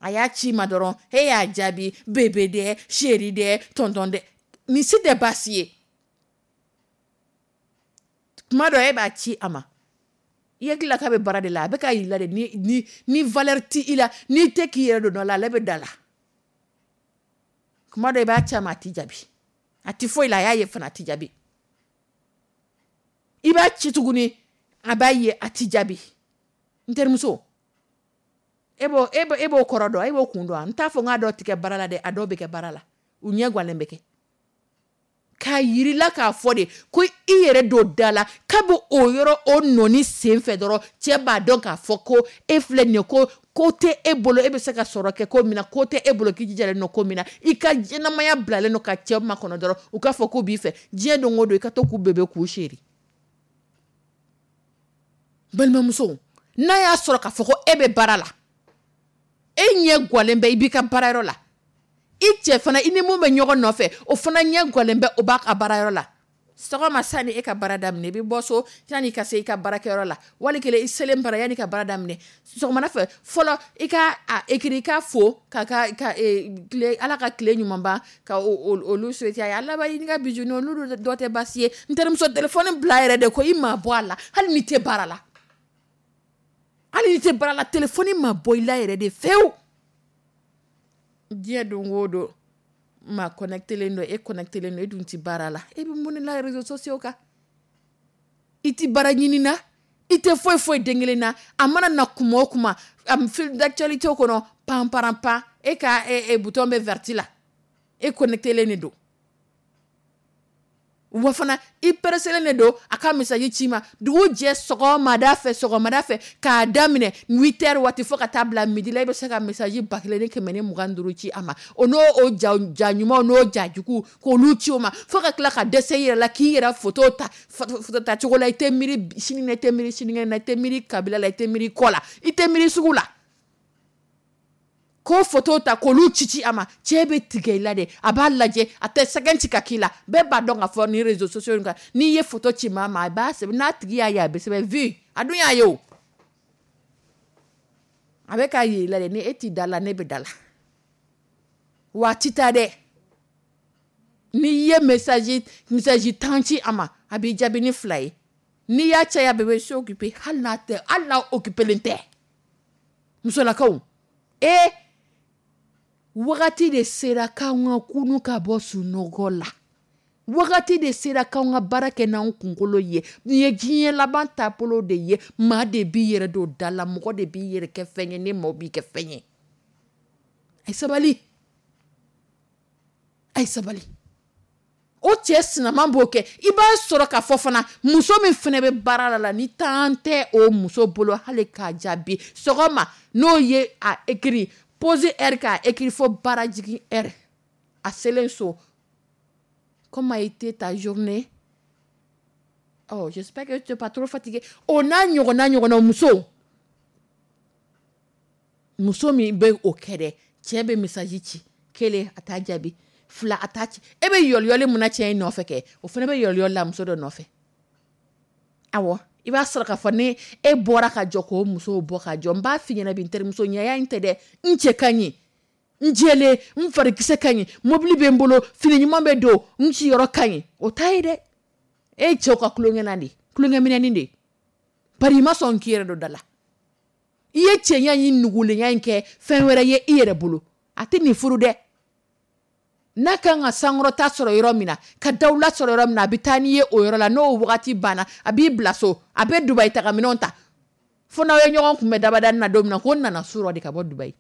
S2: a y'a ci ma dɔrɔn, e y'a jaabi: bébé dɛ, chéri dɛ, tonton dɛ. Nin si tɛ baasi ye. Kuma dɔ, e b'a ci a ma, i hakili la k'a bɛ baara de la, a bɛ ka yira de ni ni ni valeur ti i la, n'i tɛ k'i yɛrɛ don dɔ la, ale bɛ da la. Kuma dɔ, i b'a ci a ma, a t'i jaabi, a ti foyi la. A y'a ye fana, a t'i jaabi. I b'a ci tuguni, a b'a ye, a t'i jaabi. N terimuso, e b'o e b'o e b'o kɔrɔ dɔn, e b'o kun dɔn. N t'a fɔ n k'a dɔw ti kɛ baara la dɛ, a dɔw bɛ kɛ baara la, u ɲɛ guwalen bɛ kɛ k'a yirila k'a fɔ de ko i yɛrɛ don da la. Kabi o yɔrɔ, o nɔni sen fɛ dɔrɔn, cɛ b'a dɔn k'a fɔ ko e filɛ nin ye, ko ko tɛ e bolo, e bɛ se ka sɔrɔ kɛ ko min na, ko tɛ e bolo k'i jijalen don ko min na, i ka ɲɛnamaya bilalen don ka cɛw makɔnɔ dɔrɔn, u k'a fɔ k'u b'i fɛ diɲɛ don o don, i ka to k'u bébé, k'u chéri. Balimamuso, n'a y'a sɔrɔ k'a fɔ ko e bɛ baara la, e ɲɛ guwalen bɛ, i b'i ka baarayɔrɔ la, i cɛ fana, i ni mun bɛ ɲɔgɔn nɔfɛ, o fana ɲɛ guwalen bɛ, o b'a ka baarayɔrɔ la. Sɔgɔma, sani e ka baara daminɛ, i bɛ bɔ so, yanni i ka se i ka baarakɛyɔrɔ la, wali kelen i selen bara, yanni ka baara daminɛ sɔgɔmada fɛ fɔlɔ, i ka a écrit, i ka fo ka ka ka tile, Ala ka tile ɲuman ban, ka olu souhaiter a ye. A laban, i ka bijou, olu dɔ tɛ baasi ye. N terimuso, téléphone bila yɛrɛ de ko i ma bɔ a la. Hali n'i tɛ baara la, hali n'i tɛ baara la, téléphone ma bɔ i la yɛrɛ de fewu. Diɲɛ don o don, maa connecté len don, e connecté len don, e dun ti baara la, e bɛ mun de la réseaux sociaux kan? I ti baara ɲini na, i tɛ foyi foyi den kelen na. A mana na kuma o kuma, a fil d'actualité kɔnɔ, pan paran pan, e ka e, e, bouton bɛ vert la, e connecté len de don. Wa fana, i pressé de don a ka message ci ma dugu jɛ sɔgɔmada fɛ, sɔgɔmada fɛ, k'a daminɛ huit heures waati fo ka taa bila midi la, i bɛ se ka message ba kelen ni kɛmɛ ni mugan ni duuru ci a ma. O n'o o ja ja ɲumanw n'o ja juguw, k'olu ci o ma, fo ka tila ka dɛsɛ i yɛrɛ la k'i yɛrɛ photo ta photo ta cogo la. I tɛ miiri sini na, i tɛ miiri sinikɛnɛ na, i tɛ miiri kabila la, i tɛ miiri kɔ la, i tɛ miiri sugu la, k'o photo ta k'olu ci ci a ma. Cɛ bɛ tigɛ i la de, a b'a lajɛ, a tɛ sɛgɛn ci ka k'i la. Bɛɛ b'a dɔn k'a fɔ ni réseaux sociaux kan, n'i ye photo ci maa ma, a b'a sɛbɛn, n'a tigi y'a ye, a bɛ sɛbɛn vu. A dun y'a ye, o a bɛ k'a yir'i la de ni e t'i da la, ne bɛ da la. Wa a ti taa dɛ. N'i ye message message tan ci a ma, a b'i jaabi ni fila ye. N'i y'a caya, bébé, je suis occupé. Hali n'a tɛ, hali n'a occupé len tɛ. Musolakaw, ee, wagati de sera k'an ka kunu ka bɔ sunɔgɔ la. Wagati de sera k'an ka baara kɛ n'an kunkolo ye. Nin ye diɲɛ laban taabolo de ye. Maa de b'i yɛrɛ don da la, mɔgɔ de b'i yɛrɛ kɛ fɛn ye, ni maaw b'i kɛ fɛn ye. A ye sabali, a ye sabali. O cɛ sinaman b'o kɛ. I b'a sɔrɔ k'a fɔ fana, muso min fana bɛ baara la la ni temps tɛ o muso bolo hali k'a jaabi sɔgɔma, n'o ye a écrit pause heure, k'a écrit fo baara jigin heure, a selen so: "Comment a été ta journée? Oh, j'espère que tu n'es pas trop fatigué." O n'a ɲɔgɔnna ɲɔgɔnna. Muso, muso min bɛ o kɛ dɛ, cɛ bɛ message ci kelen, a t'a jaabi, fila, a t'a ci. E bɛ yɔliyɔli mun na cɛ in nɔfɛ kɛ, o fana bɛ yɔliyɔli la muso dɔ nɔfɛ. Awɔ, i b'a sɔrɔ k'a fɔ ni e bɔra ka jɔ k'o musow bɔ ka jɔ. N b'a f'i ɲɛna bi, n terimuso, ɲɛya in tɛ dɛ. N cɛ ka ɲi, n jɛlen, n farikisɛ ka ɲi, mobili bɛ n bolo, fini ɲuman bɛ don, n siyɔrɔ ka ɲi, o t'a ye dɛ. E ye cɛw ka tulonkɛna de, tulonkɛminɛni de, bari i ma sɔn k'i yɛrɛ don da la. I ye cɛɲa in nugulenya in kɛ fɛn wɛrɛ ye i yɛrɛ bolo. A tɛ nin furu dɛ. N'a kan ka sankɔrɔta sɔrɔ yɔrɔ min na, ka dawula sɔrɔ yɔrɔ min na, a bɛ taa n'i ye o yɔrɔ la. N'o wagati banna, a b'i bila so, a bɛ Dubayi taga minɛnw ta, fo n'aw ye ɲɔgɔn kunbɛn dabadani na don min na, ko n nana su rɔ de ka bɔ Dubayi.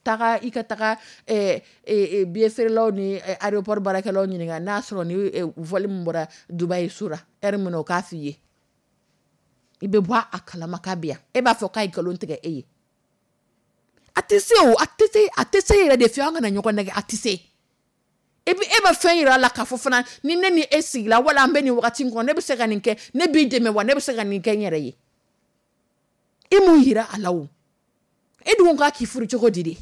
S2: Taga i ka taga eh, eh, eh, billet feerelaw ni eh, aéroport baarakɛlaw ɲininka n'a sɔrɔ ni eh, vol min bɔra Dubaï sura heure min na, o k'a f'i ye. I bɛ bɔ a kalama k'a bɛ yan. E b'a fɔ k'a ye nkalon tigɛ e ye. A tɛ se o, a tɛ se, a tɛ se yɛrɛ de fiyewu. An kana ɲɔgɔn nɛgɛ, a tɛ se. E bi e bɛ fɛn yira a la k'a fɔ fana ni ne ni e sigila wala an bɛ nin wagati in kɔnɔ, ne bɛ se ka nin kɛ, ne b'i dɛmɛ wa, ne bɛ se ka nin kɛ n yɛrɛ ye. E m'o yira a la o. E dun ko k'a k'i furu cogo di de?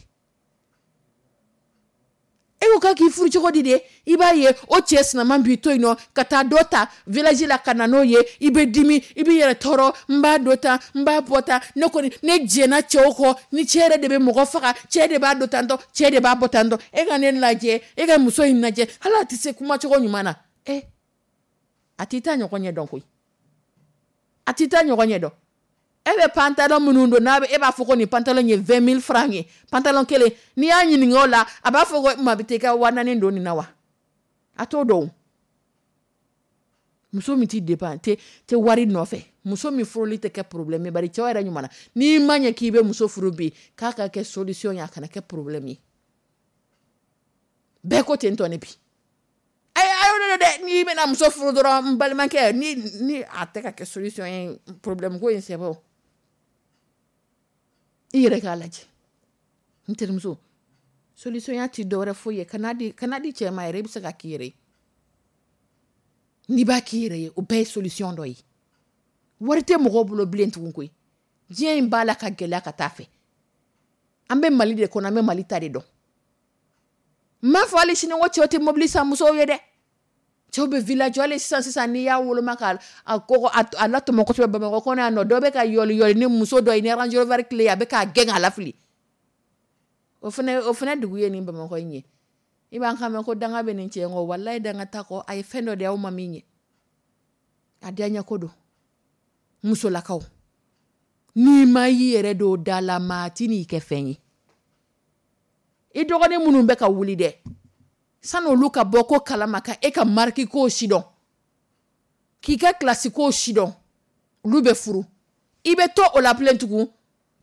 S2: E ko k'a k'i furu cogo di de? I b'a ye, o cɛ sinaman b'i to yen nɔ ka taa dɔ ta village la ka na n'o ye. I bɛ dimi, i b'i yɛrɛ tɔɔrɔ. N b'a dɔ ta, n b'a bɔ ta, ne kɔni ne jɛnna cɛw kɔ ni cɛ yɛrɛ de bɛ mɔgɔ faga, cɛ de b'a dɔ tan tɔ, cɛ de b'a bɔ tan tɔ. E ka ne lajɛ, e ka muso in lajɛ, hali a tɛ se kumacogo ɲuman na. Ɛ, a t'i ta ɲɔgɔn ɲɛ dɔn koyi, a t'i ta ɲɔgɔn ɲɛ dɔn. E bɛ pantalon minnu don n'a bɛ, e b'a fɔ ko nin pantalon ye vingt mille francs ye, pantalon kelen. N'i y'a ɲininka o la, a b'a fɔ ko maa bɛ taa i ka waa naani don nin na wa? A t'o dɔn o. Muso min t'i dépend tɛ tɛ wari nɔfɛ, muso min furuli tɛ kɛ problème ye, bari cɛw yɛrɛ ɲuman na, n'i ma ɲɛ k'i bɛ muso furu bi, k'a ka kɛ solution ye, a kana kɛ problème ye. Bɛɛ ko ten tɔ ne bi. Ayi, ayi, dɛ, n'i bɛna muso furu dɔrɔn, n balimakɛ, ni ni a tɛ ka kɛ solution ye, problème ko in, c'est bon. I yɛrɛ k'a lajɛ, n terimuso, solution ya ti dɔwɛrɛ foyi ye. Kana di, kana di cɛ ma yɛrɛ, i bɛ se ka k'i yɛrɛ ye. N'i b'a k'i yɛrɛ ye, o bɛɛ ye solution dɔ ye. Wari tɛ mɔgɔw bolo bilen tugun koyi. Diɲɛ in b'a la ka gɛlɛya ka taa fɛ. An bɛ Mali de kɔnɔ, an bɛ Mali ta de dɔn. N m'a fɔ hali sini ko cɛw tɛ mobili san musow ye dɛ. Cɛw bɛ villa jɔ hali sisan sisan. N'i y'a woloma ka a kɔgɔ a latɔmɔ kosɛbɛ, Bamakɔ kɔnɔ yan nɔ, dɔ bɛ ka yɔli yɔli ni muso dɔ ye ni Range Rover tile ye, a bɛ k'a gɛn k'a lafili. O fana, o fana dugu ye nin Bamakɔ in ye. I b'an kan mɛn ko danga bɛ nin cɛ in kɔ. Walayi, danga ta kɔ, a ye fɛn dɔ de aw ma min ye, a diya ko don. Musolakaw, n'i ma y'i yɛrɛ don da la, maa ti n'i kɛ fɛn ye. I dɔgɔnin minnu bɛ ka wuli dɛ, sani olu ka bɔ ko kalama ka e ka marque ko si dɔn, k'i ka classe ko si dɔn, olu bɛ furu. I bɛ to o la bilen tugun,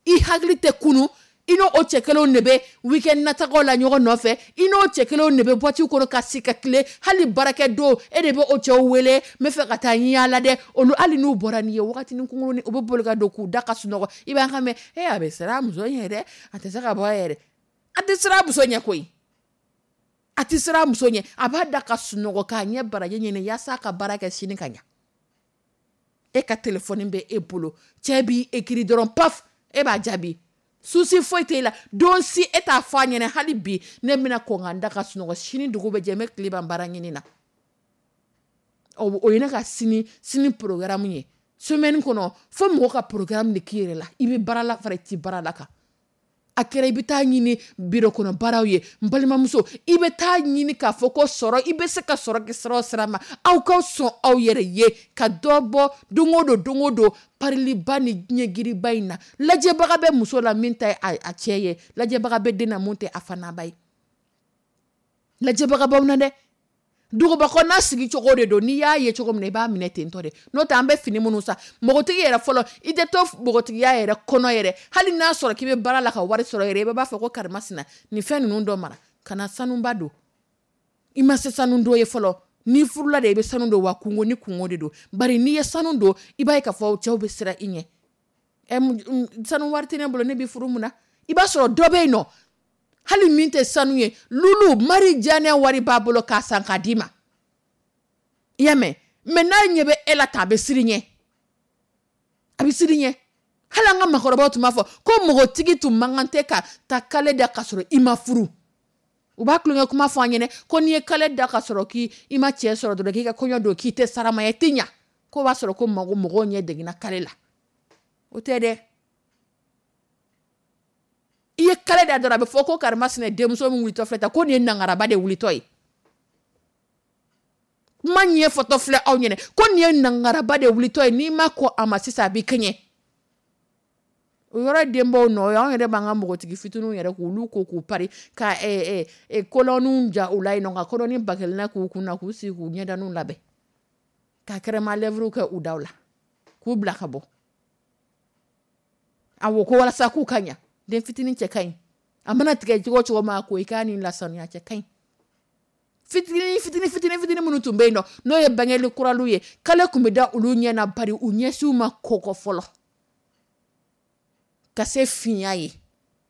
S2: i hakili tɛ kunu. I n'o o cɛ kelenw de bɛ weekend natagaw la ɲɔgɔn nɔfɛ, i n'o cɛ kelenw de bɛ boîte kɔnɔ ka si ka tile. Hali baarakɛ don, e de bɛ o cɛw wele: n bɛ fɛ ka taa n yaala dɛ. Olu, hali n'u bɔra n'i ye wagatinin kunkurunin, u bɛ boli ka don k'u da ka sunɔgɔ. I b'an kan mɛn: e, a bɛ siran muso ɲɛ dɛ, a tɛ se ka bɔ yɛrɛ. A tɛ siran muso ɲɛ koyi, a tɛ siran muso ɲɛ. A b'a da ka sunɔgɔ k'a ɲɛ baraji ɲini yaasa ka baara kɛ sini ka ɲa. E ka telefɔni bɛ e bolo, cɛ b'i écrit dɔrɔn, paf, e b'a jaabi. Souci foyi t'e la. Don si e t'a fɔ a ɲɛna: hali bi ne bɛna kɔn ka n da ka sunɔgɔ, sini dugu bɛ jɛ, n bɛ tile ban baara ɲini na, o ye ne ka sini sini programme ye semaine kɔnɔ. Fo mɔgɔ ka programme de k'i yɛrɛ la. I bɛ baara la fara i ti baara la kan, a kɛra i bɛ taa ɲini biro kɔnɔ baaraw ye, n balimamuso, i bɛ taa ɲini k'a fɔ ko sɔrɔ, i bɛ se ka sɔrɔ kɛ sira o sira ma. Aw ka sɔn aw yɛrɛ ye ka dɔ bɔ don o don, don o don pariliba ni diɲɛgiriba in na. Lajɛbaga bɛ muso la min ta a cɛ ye, lajɛbaga bɛ den na mun tɛ a fanaba ye. Lajɛbaga b'aw na dɛ. Duguba kɔnɔna sigi cogo de don. N'i y'a ye cogo min na, i b'a minɛ ten tɔ de. N'o tɛ, an bɛ fini minnu san, npogotigi yɛrɛ fɔlɔ, i tɛ to npogotigiya yɛrɛ kɔnɔ yɛrɛ. Hali n'a sɔrɔ k'i bɛ baara la ka wari sɔrɔ yɛrɛ, i b'a fɔ ko karimasina, nin fɛn ninnu dɔ mara ka na sanuba don. I ma se sanu don ye fɔlɔ. N'i furula de, i bɛ sanu don wa, kungo ni kungo de don. Bari n'i ye sanu don, i b'a ye k'a fɔ cɛw bɛ siran i ɲɛ. Ɛ, sanu wari tɛ ne bolo, ne bɛ furu mun na? I b'a sɔrɔ dɔ bɛ yen nɔ, hali min tɛ sanu ye, lulu mari diyanɛ wari b'a bolo k'a san k'a d'i ma. I y'a mɛn? Mɛ n'a ɲɛ bɛ e la ta, a bɛ siran ɲɛ, a bɛ siran ɲɛ. Hali an ka maakɔrɔbaw tun b'a fɔ ko npogotigi tun man kan tɛ ka taa kale da ka sɔrɔ i ma furu. U b'a tulonkɛ kuma fɔ an ɲɛna ko n'i ye kale da ka sɔrɔ k'i ma cɛ sɔrɔ dɔrɔn, k'i ka kɔɲɔ don, k'i tɛ sarama ye, i tɛ ɲa. Ko b'a sɔrɔ ko mago mɔgɔw ɲɛ degina kale la. O tɛ dɛ. I ye kale da dɔrɔn, a bɛ fɔ ko karimasina denmuso min wulitɔ filɛ tan, ko nin ye nangaraba de wulitɔ ye. Kuma ɲɛ fɔtɔ filɛ aw ɲɛna ko nin ye nangaraba de wulitɔ ye. N'i ma kɔ a ma sisan, a b'i kɛɲɛ. O yɔrɔ denbaw nɔ ye, anw yɛrɛ b'an ka npogotigi fitininw yɛrɛ k'olu ko k'u pari ka kolɔniw ja u la yen nɔ, ka kɔnɔni ba kelen na k'u kun na, k'u sigi k'u ɲɛdaninw labɛn, ka crème à lèvres kɛ u daw la, k'u bila ka bɔ. Awɔ, ko walasa k'u ka ɲa. Den fitinin cɛ ka ɲi. A mana tigɛ cogo cogo ma ko i k'a ni lasanuya cɛ ka ɲi. Fitinin fitinin fitinin fitinin minnu tun bɛ yen nɔ, n'o ye bangeli kuralu ye, kale tun bɛ da olu ɲɛ na, bari u ɲɛsiw ma kɔgɔ fɔlɔ ka se finya ye.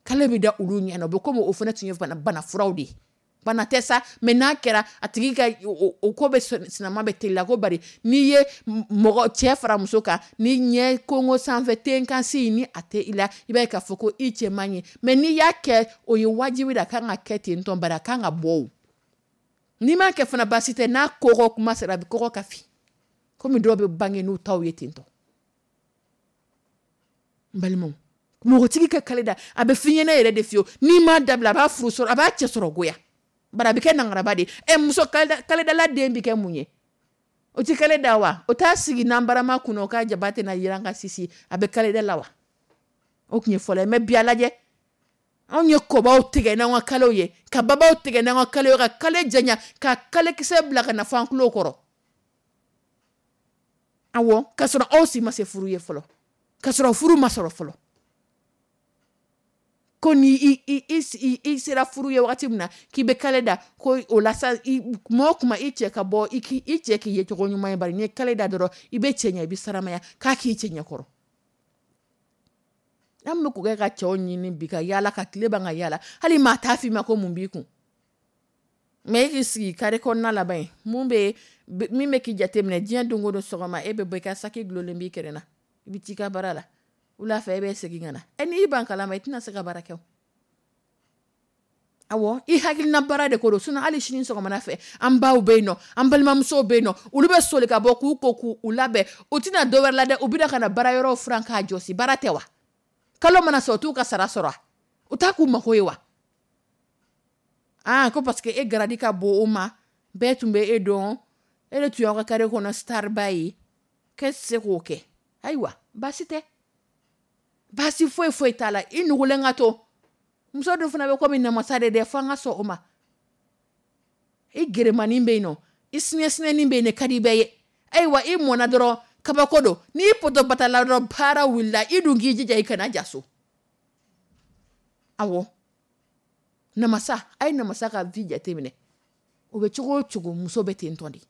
S2: Kale bɛ da olu ɲɛ na, o bɛ komi o fana tun ye bana bana furaw de ye. Bana tɛ sa, mɛ n'a kɛra a tigi ka o ko bɛ sinama bɛ teliya ko, bari n'i ye mɔgɔ cɛ fara muso kan ni ɲɛ kongo sanfɛ tenkansi ni a tɛ i la, i b'a ye k'a fɔ ko i cɛ man ɲi. Mɛ n'i y'a kɛ, o ye wajibi de, a kan ka kɛ ten tɔ, bari a kan ka bɔ o. N'i m'a kɛ fana baasi tɛ, n'a kɔgɔ kuma sera a bɛ kɔgɔ ka fin, komi dɔw bɛ bange n'u taw ye ten tɔ. N balimaw, npogotigi ka kale da, a bɛ f'i ɲɛna yɛrɛ de fiyewu, n'i m'a dabila a b'a furu sɔrɔ, a b'a cɛ sɔrɔ goya, bari a bɛ kɛ nangaraba de ye. Ɛ, muso kaledala den bɛ kɛ mun ye? O tɛ kale da wa? O t'a sigi nanbarama kunna, o ka jaba tɛna yiran ka sisi, a bɛ kaleda la wa? O tun ye fɔlɔ ye. Mɛ bi a lajɛ, anw ye kɔbaw tigɛ n'an ka kalew ye, ka babaw tigɛ n'an ka kalew ye, ka kale janya, ka kalekisɛ bila ka na fɔ an tulo kɔrɔ. Awɔ, k'a sɔrɔ aw si ma se furu ye fɔlɔ, k'a sɔrɔ furu ma sɔrɔ fɔlɔ. Ko ni i i i i sera furu ye wagati min na k'i bɛ kale da, ko o la sa, kuma o kuma i cɛ ka bɔ, i k'i i cɛ k'i ye cogo ɲuman ye, bari n'i ye kale da dɔrɔn i bɛ cɛ ɲɛ, i bɛ saramaya k'a k'i cɛ ɲɛkɔrɔ. An bɛ k'o kɛ ka cɛw ɲini bi, ka yaala ka tile ban ka yaala, hali maa t'a f'i ma ko mun b'i kun. Mɛ e k'i sigi kare kɔnɔna laban ye, mun bɛ min bɛ k'i jateminɛ diɲɛ don o don, sɔgɔma e bɛ bɔ, i ka saki gulonlen b'i kɛrɛ na, i bɛ t'i ka baara la, wula fɛ e bɛ segin ka na. Ɛ, n'i ban kalama i tɛna se ka baara kɛ o. Awɔ, i hakilina baara de ko don. Sinon hali sini sɔgɔmada fɛ, an baw bɛ yen nɔ, an balimamusow bɛ yen nɔ, olu bɛ soli ka bɔ k'u ko k'u labɛn, u tɛna dɔ wɛrɛ la dɛ, u bɛna ka na baara yɔrɔw furan k'a jɔsi. Baara tɛ wa? Kalo mana sɔrɔ, u t'u ka sara sɔrɔ, u t'a k'u mako ye wa? Aa, ko parce que e garadi ka bon o ma, bɛɛ tun bɛ e dɔn, e de tun y'aw ka kare kɔnɔ starba ye, k'e tɛ se k'o kɛ. Ayiwa, baasi tɛ, baasi foyi foyi t'a la, i nugulen ka to. Muso dun fana bɛ komi namasa de dɛ, fo an ka sɔn o ma. I geremanin bɛ yen nɔ, i sinɛsinɛnin bɛ yen, ne ka di bɛɛ ye. Ayiwa, i mɔnna dɔrɔn kabako don, n'i poto batala dɔrɔn baara wulila, i dun k'i jija i kana ja so. Awɔ, namasa, a ye namasa ka vie jateminɛ, o bɛ cogo o cogo, muso bɛ ten tɔ de.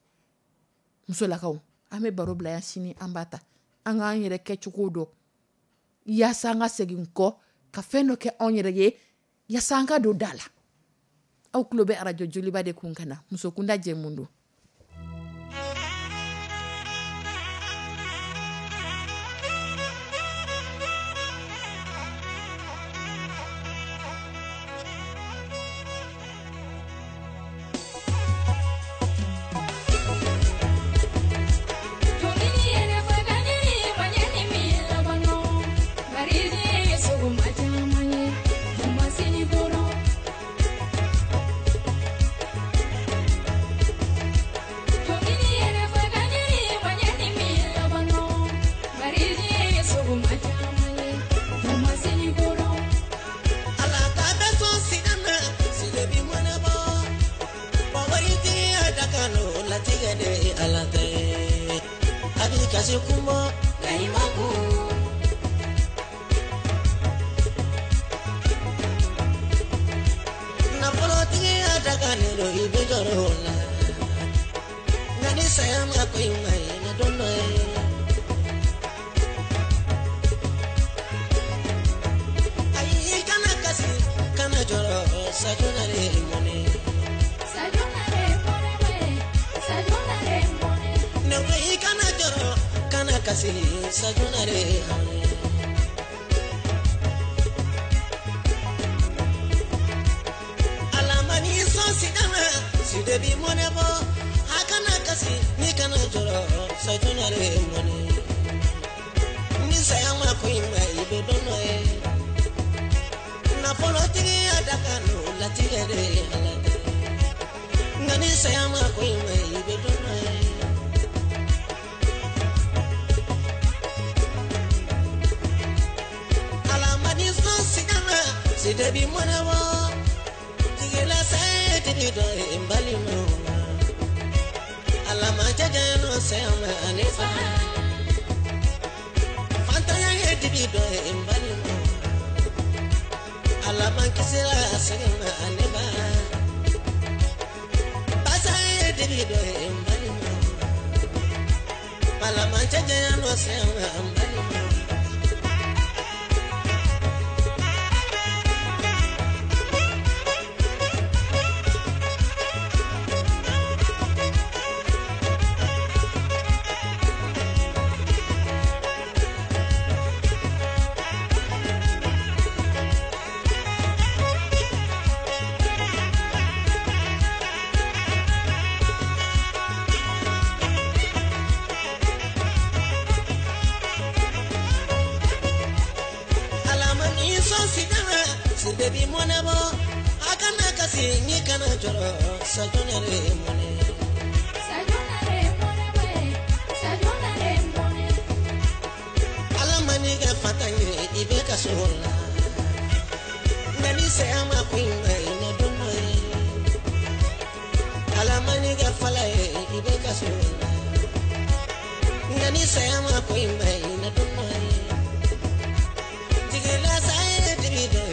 S2: Musolakaw, an bɛ baro bila yan, sini an b'a ta an k'an yɛrɛ kɛcogo dɔn, yaasa an ka segin kɔ ka fɛn dɔ kɛ anw yɛrɛ ye, yaasa an ka don da la. Aw tulo bɛ arajo Joliba de kun ka na muso kunda jɛmu don.
S4: Kisira sɛgɛn ma ne ba. Basa ye dibi dɔ ye n balima. Balamacɛ janya nɔ sɛgɛn ma n balima. Baby monebo akana kasi ni kana joro sajonere mone
S6: Sajonare mone we, sajonare mone.
S4: Ala mani ka fatanye ibe ka sola nani se ama kuinga ina dono ala mani ka fala ibe ka sola nani se ama kuinga ina dono tigila sai dibido.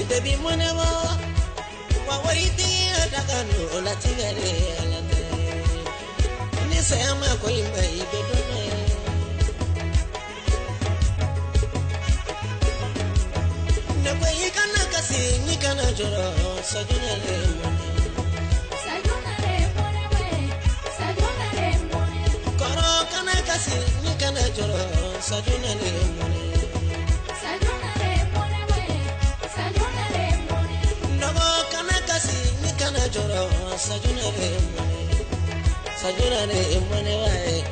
S4: Baby monebo wa wariti adakano la tigere alate ni se ama ko imba ibe dono ne ko ikana kasi ni kana joro sajunale mone
S6: Sajunale mone we, sajunale mone.
S4: Koro kana kasi ni kana joro sajunale mone
S6: Sajunale mone we, sajunale mone.
S4: Ndogo kana kasi ni kana joro sajunale mone sajunale mone we,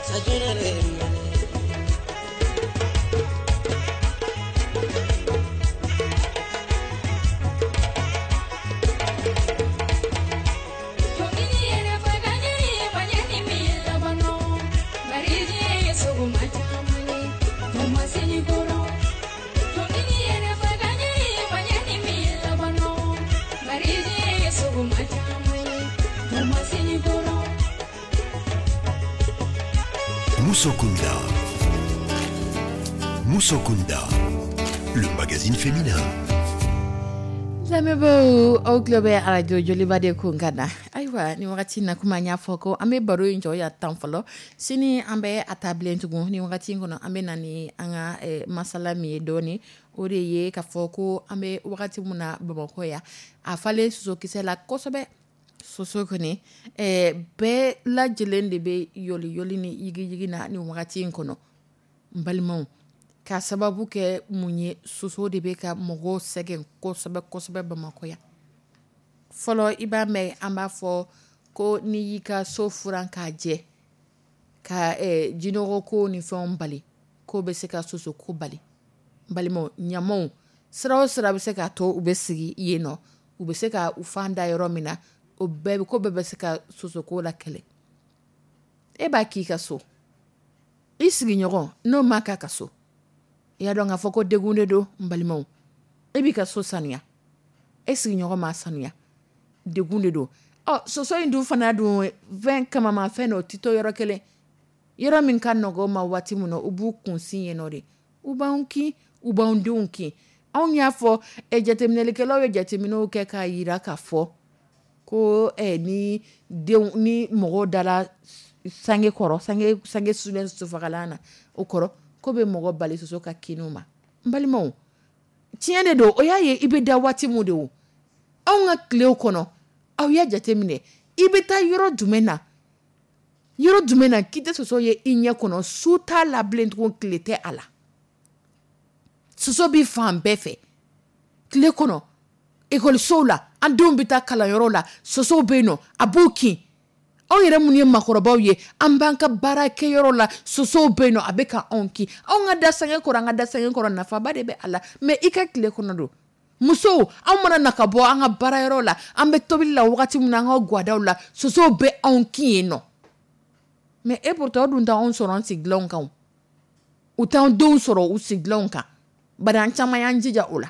S4: sajunale mone.
S1: Moussokunda. Moussokunda, le magazine féminin.
S2: Lamɛnbaaw, aw tulo bɛ arajo Joliba de kun ka na. Ayiwa, ni wagati in na, komi an y'a fɔ ko an bɛ baro in jɔ yan tan fɔlɔ, sini an bɛ a ta bilen tugun. Ni wagati in kɔnɔ, an bɛ na ni an ka eh, masala min ye dɔɔni, o de ye k'a fɔ ko an bɛ wagati min na Bamakɔ yan, a falen sosokisɛ la kosɛbɛ. Soso kɔni eh, bɛɛ lajɛlen de bɛ yɔli yɔli ni yigiyigi na nin wagati in kɔnɔ. N balimaw, k'a sababu kɛ mun ye, soso de bɛ ka mɔgɔw sɛgɛn kosɛbɛ kosɛbɛ Bamakɔ yan. Fɔlɔ i b'a mɛn an b'a fɔ ko n'i y'i ka so furan k'a jɛ ka eh, jinɔgɔ ko ni fɛnw bali, k'o bɛ se ka soso ko bali. N balimaw, ɲamaw sira o sira bɛ se k'a to u bɛ sigi yen nɔ, u bɛ se ka u fan da yɔrɔ min na, o bɛɛ ko bɛɛ bɛ se ka soso ko la kɛlɛ. E b'a k'i ka so, i sigiɲɔgɔn n'o ma k'a ka so, i y'a dɔn k'a fɔ ko degun de don. N balimaw, e b'i ka so sanuya, e sigiɲɔgɔn m'a sanuya, degun de don. Ɔ soso in dun fana dun fɛn kamama fɛn dɔ, o tɛ to yɔrɔ kelen. Yɔrɔ min ka nɔgɔn ma waati min na, u b'u kun sin yen nɔ de, u b'anw kin, u b'anw denw kin. Anw y'a fɔ ɛ jateminɛlikɛlaw ye jateminɛw kɛ k'a yira k'a fɔ ko ɛ ni denw ni mɔgɔw dara sange kɔrɔ, sange sange sulen sosofagalan na, o kɔrɔ ko bɛ mɔgɔ bali soso ka kinw ma. N balimaw, tiɲɛ de don, o y'a ye i bɛ da waati mun de o. Anw ka tilew kɔnɔ, aw y'a jateminɛ, i bɛ taa yɔrɔ jumɛn na, yɔrɔ jumɛn na k'i tɛ soso ye i ɲɛ kɔnɔ, su t'a la bilen tugun, tile tɛ a la. Soso bɛ fan bɛɛ fɛ tile kɔnɔ, ekɔlisow la, an denw bɛ taa kalanyɔrɔ la, sosow bɛ yen nɔ, a b'u kin. Anw yɛrɛ minnu ye maakɔrɔbaw ye, an b'an ka baarakɛyɔrɔ la, sosow bɛ yen nɔ, a bɛ ka anw kin. Anw ka da sange kɔrɔ, an ka da sange kɔrɔ, nafaba de bɛ a la, mɛ i ka tile kɔnɔ don. Musow, anw mana na ka bɔ an ka baarayɔrɔ la, an bɛ tobili la wagati min na, an ka gwadaw la, sosow bɛ anw kin yen nɔ. Mais e pourtant o dun t'anw sɔrɔ an sigilanw kan, u t'anw denw sɔrɔ u sigilanw kan, bari an caman y'an jija o la.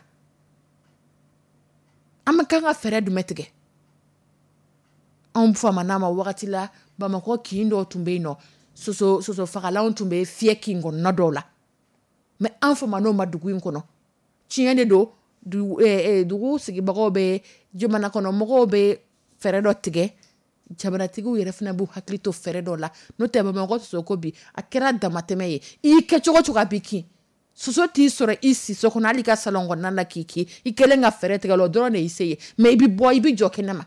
S2: An bɛ kan ka fɛɛrɛ jumɛn tigɛ? Anw famana ma wagati la, Bamakɔ kin dɔw tun bɛ yen nɔ, soso soso fagalanw tun bɛ fiyɛ kin kɔnɔna dɔw la, mais an faman'o ma dugu in kɔnɔ. Tiɲɛ de don, dugu sigibagaw bɛ, jamana kɔnɔ mɔgɔw bɛ fɛɛrɛ dɔ tigɛ, jamanatigiw yɛrɛ fana b'u hakili to fɛɛrɛ dɔ la. N'o tɛ, Bamakɔ soso ko bi a kɛra damatɛmɛ ye. I kɛ cogo cogo, a b'i kin. Soso t'i sɔrɔ i si so kɔnɔ, hali ka salon kɔnɔna la k'i kin, i kɛlen ka fɛɛrɛ tigɛ o dɔrɔn de y'i se ye. Mais i bɛ bɔ, i bɛ jɔ kɛnɛma,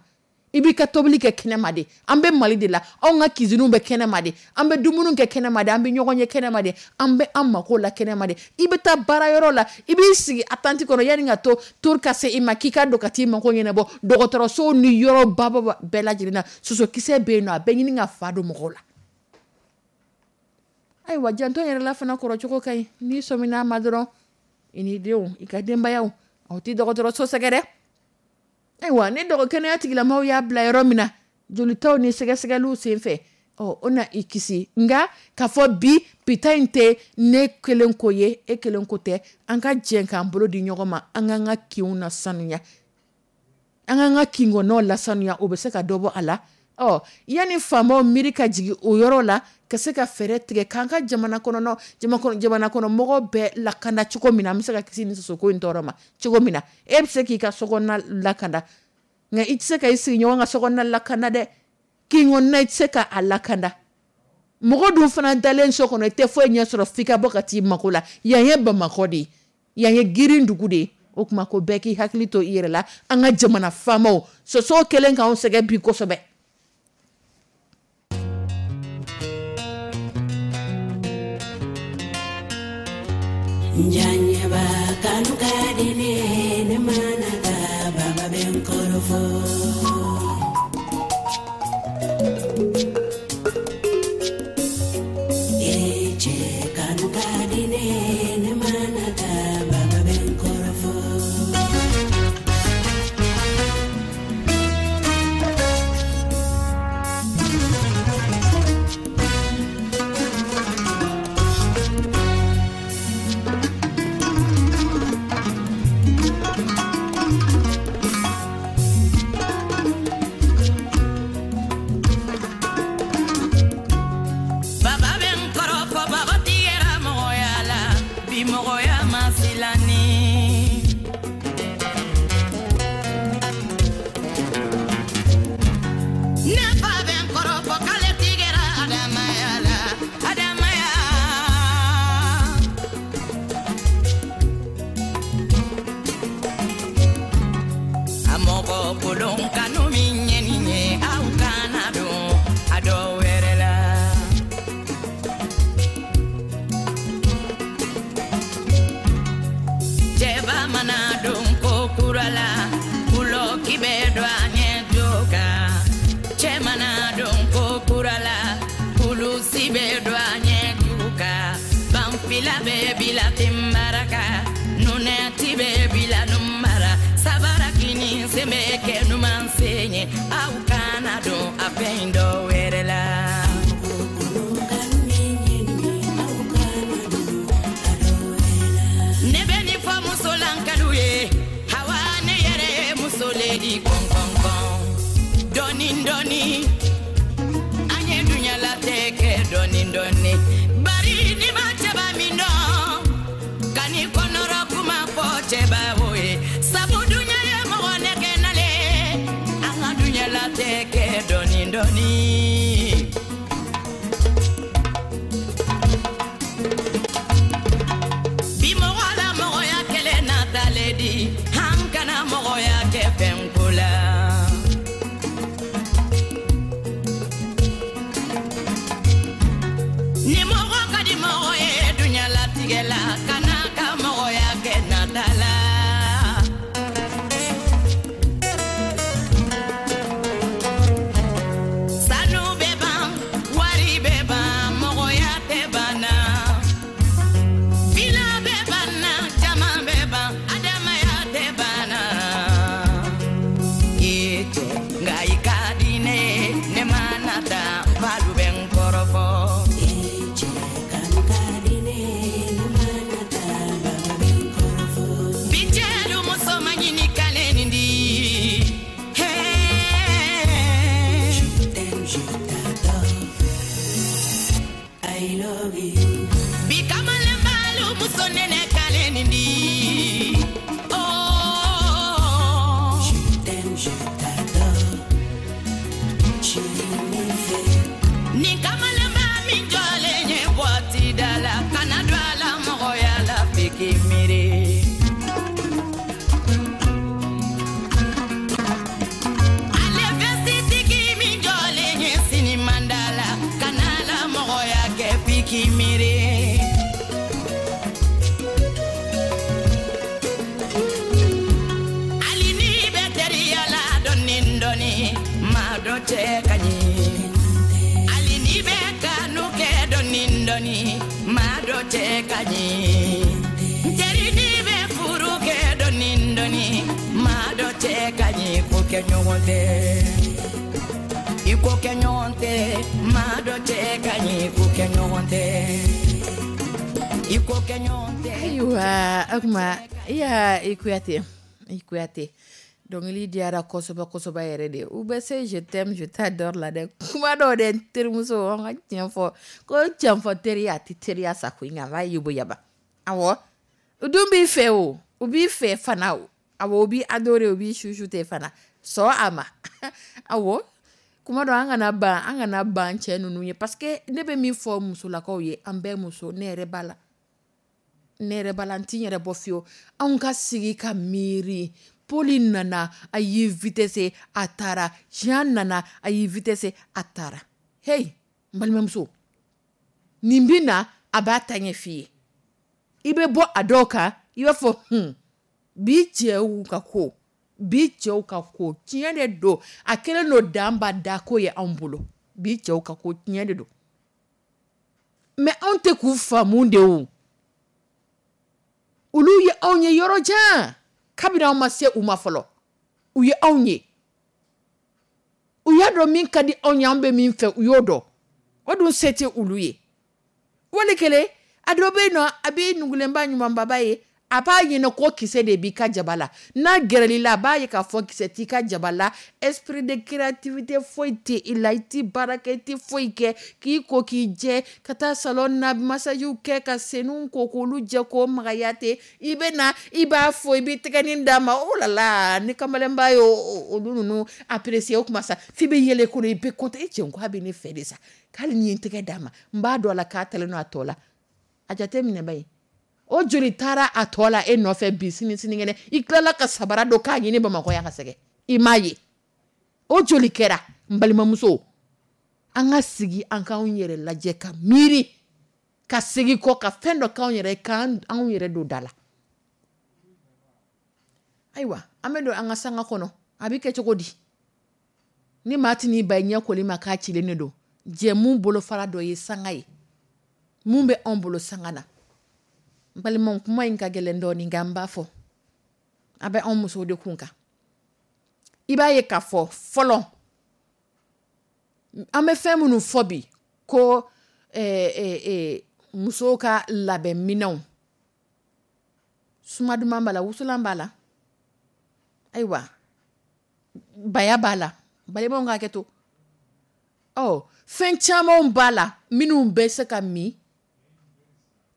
S2: i b'i ka tobili kɛ kɛnɛma de. An bɛ Mali de la, anw ka cuisine bɛ kɛnɛma de, an bɛ dumuni kɛ kɛnɛma de, an bɛ ɲɔgɔn ye kɛnɛma de, an bɛ an mako la kɛnɛma de. I bɛ taa baarayɔrɔ la, i b'i sigi attente kɔnɔ yanni ka to tour ka se i ma k'i ka don ka t'i mako ɲɛnabɔ. Dɔgɔtɔrɔsow ni yɔrɔ baba bɛɛ lajɛlen na, sosokisɛ bɛ yen nɔ, a bɛ ɲini ka fa don mɔgɔw la. Ayiwa, janto yɛrɛ la fana kɔrɔcogo ka ɲi. N'i sɔmina a ma dɔrɔn, i n'i denw, i ka denbayaw, aw tɛ dɔgɔtɔrɔso sɛgɛrɛ. Ayiwa, ni dɔgɔ kɛnɛya tigilamɔgɔw y'a bila yɔrɔ min na, jolitaw ni sɛgɛsɛgɛliw senfɛ, ɔ o na i kisi. Nka k'a fɔ bi pita in tɛ ne kelen ko ye, e kelen ko tɛ, an ka jɛ k'an bolo di ɲɔgɔn ma, an k'an ka kinw lasanuya, an k'an ka kinkɔnɔw lasanuya, o bɛ se ka dɔ bɔ a la. Ɔ yanni faamaw miiri ka jigin o yɔrɔ la, ka se ka fɛɛrɛ tigɛ k'an ka jamana kɔnɔ jamana kɔnɔ mɔgɔw bɛɛ lakanda cogo min na, an bɛ se ka kisi ni sosoko in tɔɔrɔ ma cogo min na. E bɛ se k'i ka sokɔnɔna lakanda, nka i tɛ se ka i sigiɲɔgɔn ka sokɔnɔna lakanda dɛ. Kin kɔnɔna, i tɛ se ka a lakanda. Mɔgɔ dun fana dalen so kɔnɔ, i tɛ foyi ɲɛ sɔrɔ f'i ka bɔ ka t'i mako la. Yan ye Bamakɔ de ye, yan ye girin dugu de ye. O tuma ko bɛɛ k'i hakili to i yɛrɛ la. An ka jamana faamaw, sosow kɛlen k'anw sɛgɛn bi kosɛbɛ.
S5: Njanyeba kanu ka di ne, ne mana da baba bɛ n kɔrɔfɔ. E cɛ kanu ka di ne, ne mana da baba bɛ n kɔrɔfɔ.
S3: Nka i ka di ne, ne mana taa, n falu bɛ n kɔrɔfɔ.
S5: Ni kamalenba min jɔlen ye boîte da la, kana don a la mɔgɔya la f'i k'i miiri. Ale vɛsitigi min jɔlen ye sinimanda la, kana la mɔgɔya kɛ f'i k'i miiri. Hali n'i bɛ teriya la dɔɔni dɔɔni, maa dɔ cɛ ka ɲi. Hali n'i bɛ kanu kɛ dɔɔni dɔɔni, maa dɔ cɛ ka ɲi. N teri n'i bɛ furu kɛ dɔɔni dɔɔni, maa dɔ cɛ ka ɲi. Ko kɛ ɲɔgɔn tɛ, i ko kɛ ɲɔgɔn tɛ, maa dɔ cɛ ka ɲi. Ko kɛ ɲɔgɔn tɛ, i ko kɛ ɲɔgɔn tɛ.
S2: Ayiwa, o tuma iya i Kuyate, i Kuyate, dɔnkili diyara kosɛbɛ kosɛbɛ yɛrɛ de. U bɛ se je t'aime je t'adore la dɛ. Kuma dɔw dɛ, n terimuso, an ka tiɲɛ fɔ, ko tiɲɛ fɔ teriya a tɛ teriya sa koyi, nka a b'a yeboyaba. Awɔ, u dun b'i fɛ o, u b'i fɛ fana o, awɔ, u b'i adorer, u b'i chouchouter fana, sɔn a ma. Awɔ, kuma dɔ an kana ban, an kana ban cɛ ninnu ye, parce que ne bɛ min fɔ musolakaw ye, an bɛɛ muso, ne yɛrɛ b'a la, ne yɛrɛ b'a la, n t'i yɛrɛ bɔ fiyewu. Anw ka sigi ka miiri. Poli nana, a y'i vitesse, a taara. Jean nana, a y'i vitesse, a taara. Hey, n balimamuso, nin bɛ na, a b'a ta ɲɛ f'i ye. I bɛ bɔ a dɔw kan, i b'a fɔ, hun, bi cɛw ka ko, bi cɛw ka ko, tiɲɛ de don. A kɛlen don dan ba da ko ye anw bolo. Bi cɛw ka ko, tiɲɛ de don. Mais anw tɛ k'u faamu de o. Olu ye anw ye yɔrɔ jan. Kabini anw ma se u ma fɔlɔ, u ye anw ye. U y'a dɔn min ka di anw ye, an bɛ min fɛ, u y'o dɔn. O dun se tɛ olu ye. Wali kelen, a dɔ bɛ yen nɔ, a b'i nugulenba ɲumanbaba ye, a b'a ɲini ko kisɛ de b'i ka jaba la. N'a gɛrɛl'i la, a b'a ye k'a fɔ kisɛ t'i ka jaba la. Esprit de créativité foyi tɛ i la, i t'i baara kɛ, i t'i foyi kɛ, k'i ko k'i jɛ, ka taa salon na massagew kɛ, ka senw ko k'olu jɛ k'o magaya ten. I bɛ na, i b'a fɔ, i b'i tɛgɛnin d'a ma. Oh là là, ni kamalenba y'o olu ninnu apprécier o kuma sa, f'i bɛ yɛlɛ kɔnɔ, i bɛ content. E cɛ, ko a bɛ ne fɛ de sa, k'ale ni ye n tɛgɛ d'a ma, n b'a dɔn a la k'a talen don a tɔ la. A jateminɛ ba ye. O joli taara a tɔ la e nɔfɛ bi, sini sinikɛnɛ, i tilala ka sabara don k'a ɲini Bamakɔ yan ka sɛgɛn, i m'a ye. O joli kɛra, n balimamuso. An ka sigi, an k'anw yɛrɛ lajɛ ka miiri, ka segin kɔ, ka fɛn dɔ k'anw yɛrɛ ye, k'an anw yɛrɛ don da la. Ayiwa, an bɛ don an ka sanga kɔnɔ, a bɛ kɛ cogo di? Ni maa tɛ n'i ba i ɲɛ koli ma k'a cilen de don, jɛmu bolofara dɔ ye sanga ye. Mun bɛ anw bolo sanga na? N balimaw, kuma in ka gɛlɛn dɔɔni, nka n b'a fɔ. A bɛ anw musow de kun kan. I b'a ye k'a fɔ fɔlɔ, an bɛ fɛn minnu fɔ bi, ko, eh, eh, eh, musow ka labɛnminɛnw, suma duman b'a la, wusulan b'a la, ayiwa, baya b'a la, balimaw ka hakɛ to. Ɔ, fɛn camanw b'a la minnu bɛ se ka min,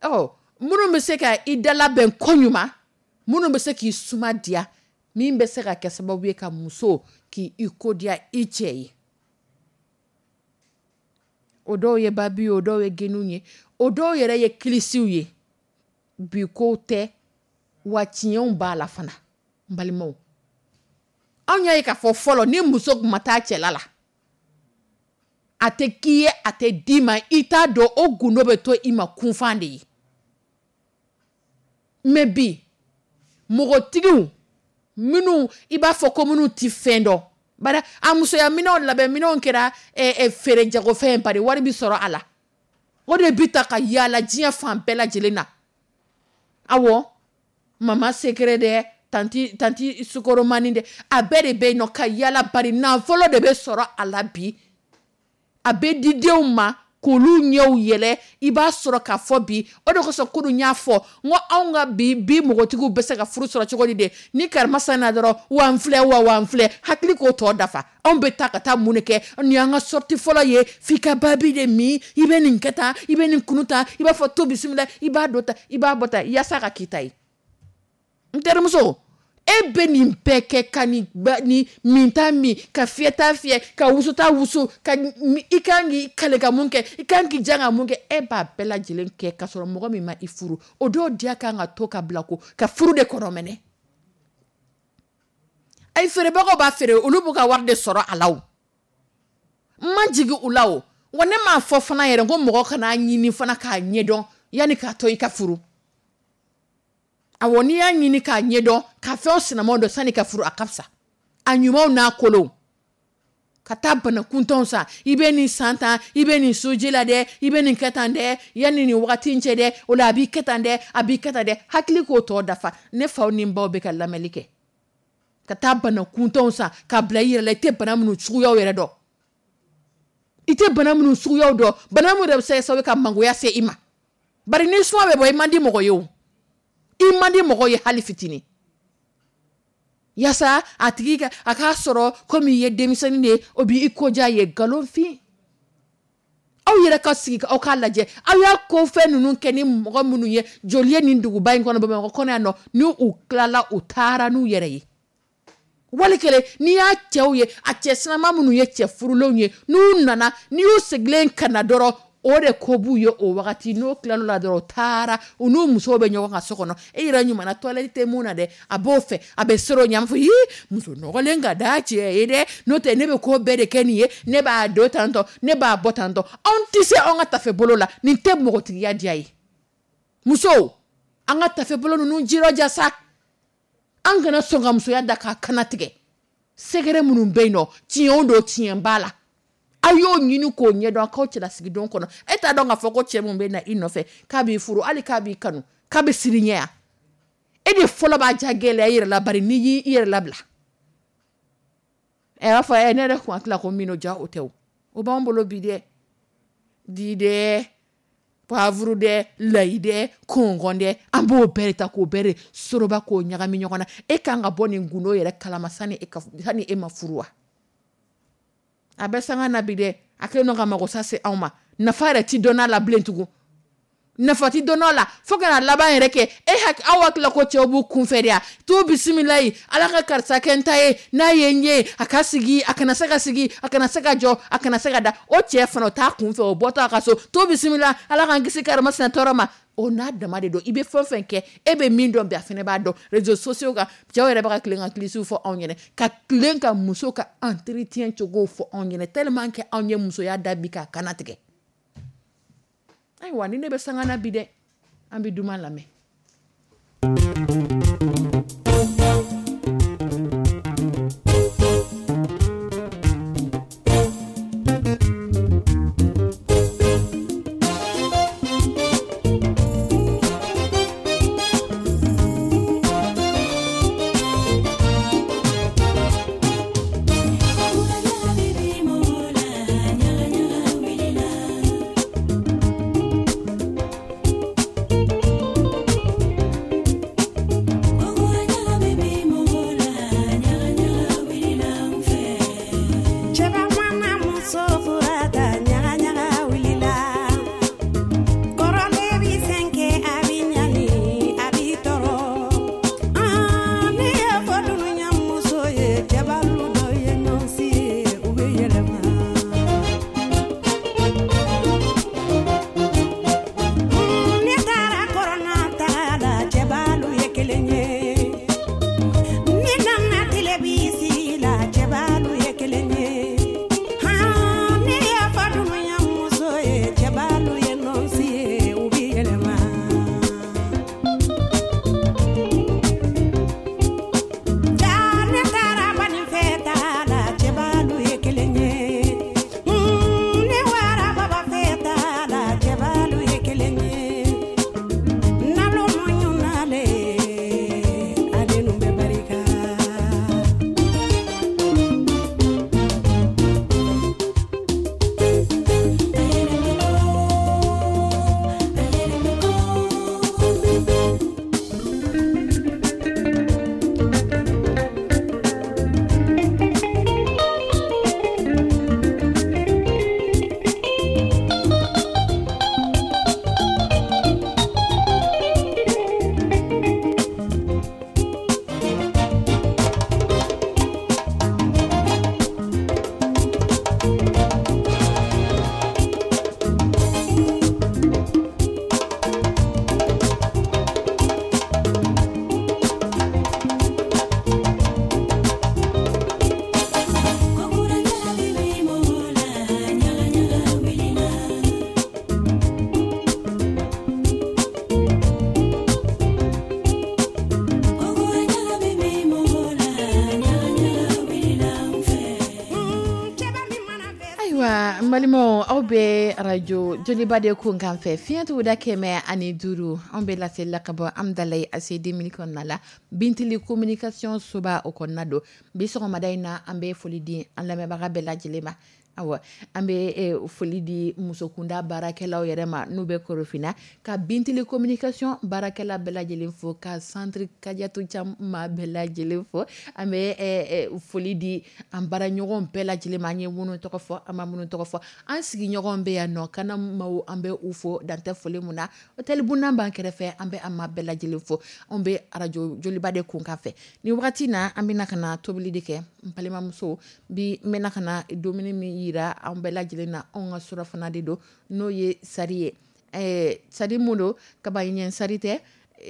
S2: ɔ, minnu bɛ se ka i dalabɛn koɲuman, minnu bɛ se k'i suma diya, min bɛ se ka kɛ sababu ye ka muso k'i i ko diya i cɛ ye. O dɔw ye babi ye, o dɔw ye geniw ye, o dɔw yɛrɛ ye kilisiw ye. Bi kow tɛ, wa tiɲɛw b'a la fana, n balimaw. Anw y'a ye k'a fɔ fɔlɔ, ni muso tun ma taa cɛla la, a tɛ k'i ye, a tɛ d'i ma, i t'a dɔn, o gundo bɛ to i ma kunfan de ye. Mais bi, mɔgɔtigiw minnu i b'a fɔ ko minnu ti fɛn dɔn, bari a musoya minɛnw labɛn minɛnw kɛra, eh, eh, feere jagofɛn ye, bari wari bi sɔrɔ a la. O de bi ta ka yaala diɲɛ fan bɛɛ lajɛlen na. Awɔ, mama secret dɛ, tanti, tanti sukoromani dɛ, a bɛɛ de bɛ yen nɔ ka yaala, bari nafolo de bɛ sɔrɔ a la bi. A bɛ di denw ma k'olu ɲɛw yɛlɛ. I b'a sɔrɔ k'a fɔ bi, o de kosɔn kunun n y'a fɔ, n ko anw ka bi, bi mɔgɔtigiw bɛ se ka furu sɔrɔ cogo di de? Ni karima san na dɔrɔn, wa n filɛ, wa, wa n filɛ, hakili k'o tɔ dafa. Anw bɛ taa ka taa mun de kɛ? Nin y'an ka sortie fɔlɔ ye, f'i ka babi de min, i bɛ nin kɛ tan, i bɛ nin kunu tan, i b'a fɔ to bisimila, i b'a dɔ ta, i b'a bɔ ta, yaasa ka k'i ta ye. N terimuso, E bɛ nin bɛɛ kɛ ka nin ni minta min, ka fiyɛta fiyɛ, ka wusuta wusu, ka i kan k'i kale ka mun kɛ, i kan k'i jan ka mun kɛ, e b'a bɛɛ lajɛlen kɛ ka sɔrɔ mɔgɔ min ma i furu, o dɔw diya kan ka to ka bila ko ka furu de kɔnɔ mɛnɛ. Ayi, feerebagaw b'a feere, olu b'u ka wari de sɔrɔ a la o. N ma jigin u la o, wa ne m'a fɔ fana yɛrɛ ko mɔgɔ kana ɲini fana k'a ɲɛdɔn yanni k'a to i ka furu. Awɔ, n'i y'a ɲini k'a ɲɛdɔn, ka fɛnw sinamaw dɔn sani ka furu, a ka fisa. A ɲumanw n'a kolonw. Ka taa bana kuntanw san, i bɛ nin san tan, i bɛ nin soji la dɛ, i bɛ nin kɛ tan dɛ, yanni nin wagati in cɛ dɛ, o la a b'i kɛ tan dɛ, a b'i kɛ tan dɛ, hakili k'o tɔ dafa. Ne faw ni n baw bɛ ka lamɛnli kɛ. Ka taa bana kuntanw san k'a bila i yɛrɛ la, i tɛ bana minnu suguyaw yɛrɛ dɔn. I tɛ bana minnu suguyaw dɔn, bana minnu yɛrɛ bɛ se ka sababu ye ka mangoya se i ma. Bari ni suma bɛ bɔ, i man di mɔgɔ ye o. I man di mɔgɔ ye hali fitinin. Yaasa a tigi ka a k'a sɔrɔ komi i ye denmisɛnnin de ye, o b'i koja ye nkalon fin. Aw yɛrɛ ka sigi aw k'a lajɛ, aw y'a ko fɛn ninnu kɛ ni mɔgɔ minnu ye, joli ye nin duguba in kɔnɔ, Bamakɔ kɔnɔ yan nɔ, ni u tilala u taara n'u yɛrɛ ye. Wali kelen n'i y'a cɛw ye, a cɛ sinama minnu ye cɛ furulenw ye, n'u nana, n'i y'u sigilen ka na dɔrɔn, o de ko b'u ye o wagati. N'o tilal'o la dɔrɔn, u taara u n'u musow bɛ ɲɔgɔn kan so kɔnɔ. E yɛrɛ ɲuman na toilette tɛ mun na dɛ, a b'o fɛ, a bɛ sɔrɔ ɲɛ, a b'a fɔ ii muso nɔgɔlen ka d'a cɛ ye dɛ, n'o tɛ ne bɛ ko bɛɛ de kɛ nin ye, ne b'a don tantɔ, ne b'a bɔ tantɔ. Anw tɛ se anw ka tafe bolo la, nin tɛ mɔgɔtigiya diya ye. Musow, an ka tafe bolo ninnu jirɔja sa, an kana sɔn ka musoya da k'a kana tigɛ. Sɛgɛrɛ minnu bɛ yen nɔ, tiɲɛw don, tiɲɛ b'a la. Aw y'o ɲini k'o ɲɛdɔn k'aw cɛlasigidon kɔnɔ. E t'a dɔn k'a fɔ ko cɛ mun bɛ na i nɔfɛ k'a b'i furu, hali k'a b'i kanu, k'a bɛ siri ɲɛ yan. E de fɔlɔ b'a ja gɛlɛya i yɛrɛ la, bari n'i y'i yɛrɛ labila. Ɛ b'a fɔ ɛ ne yɛrɛ kun hakili la ko min ja o tɛ o. O b'an bolo bi dɛ. Di dɛ, poivre dɛ, layi dɛ, kɔngɔn dɛ, an b'o bɛɛ de ta k'o bɛɛ de soroba k'o ɲagami ɲɔgɔn na. E kan ka bɔ nin gundo yɛrɛ kalama sani e ka sani e ma furu wa? A bɛ sanga na bi dɛ, a kɛlen don ka mago sa se anw ma. Nafa yɛrɛ ti dɔn a la bilen tugun. Nafa ti dɔn a la fo ka na laban yɛrɛ kɛ e hakili, aw hakili la ko cɛw b'u kunfɛ de ya. T'u bisimila yen, Ala ka karisa kɛ n ta ye, n'a ye n ye, a ka sigi, a kana se ka sigi, a kana se ka jɔ, a kana se ka da. O cɛ fana o t'a kunfɛ, o bɔtɔ a ka so, t'u bisimila, Ala k'an kisi karama sinɛ tɔɔrɔ ma. O n'a dama de don, i bɛ fɛn fɛn kɛ, e bɛ min dɔn bi, a fana b'a dɔn. Réseaux sociaux kan, cɛw yɛrɛ bɛ ka tilen ka kilisiw fɔ anw ɲɛna, ka tilen ka muso ka entretien cogo fɔ anw ɲɛna, tellement que anw ye musoya da bi k'a kana tigɛ. Ayiwa, ni ne bɛ sanga na bi dɛ, an bɛ duman lamɛn. Ayiwa, n balimaw, aw bɛ arajo Joliba de kun kan fɛ, fiɲɛ tuguda kɛmɛ ani duuru. Anw bɛ laseli la ka bɔ Amidalayi A C deux mille kɔnɔna la, Bintili communication soba o kɔnɔna don. Bi sɔgɔmada in na, an bɛ foli di an lamɛnbaga bɛɛ lajɛlen ma. Awa, an bɛ foli di musokunda baarakɛlaw yɛrɛ ma n'u bɛ Korofina, ka Bintili communication baarakɛla bɛɛ lajɛlen fo, ka centre Kadiatu Cam maa bɛɛ lajɛlen fo. An bɛ foli di an baaraɲɔgɔn bɛɛ lajɛlen ma, an ye minnu tɔgɔ fɔ, an ma minnu tɔgɔ fɔ, an sigiɲɔgɔn bɛ yan nɔ, kana maaw, an bɛ u fo dantɛ foli mun na. Hôtel Buna b'an kɛrɛfɛ, an bɛ an maa bɛɛ lajɛlen fo. Anw bɛ arajo Joliba de kun kan fɛ ni wagati na. An bɛna ka na tobili de kɛ, n balimamuso. Bi n bɛna ka na dumuni min yira an bɛɛ lajɛlen na, anw ka surafana de don, n'o ye sari ye. ɛɛ sari mun don? Kaba ɲɛ sari tɛ,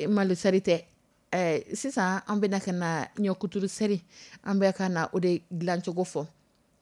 S2: malo sari tɛ. ɛɛ sisan an bɛna ka na ɲɔkuturu seri, an bɛ ka na o de dilancogo fɔ.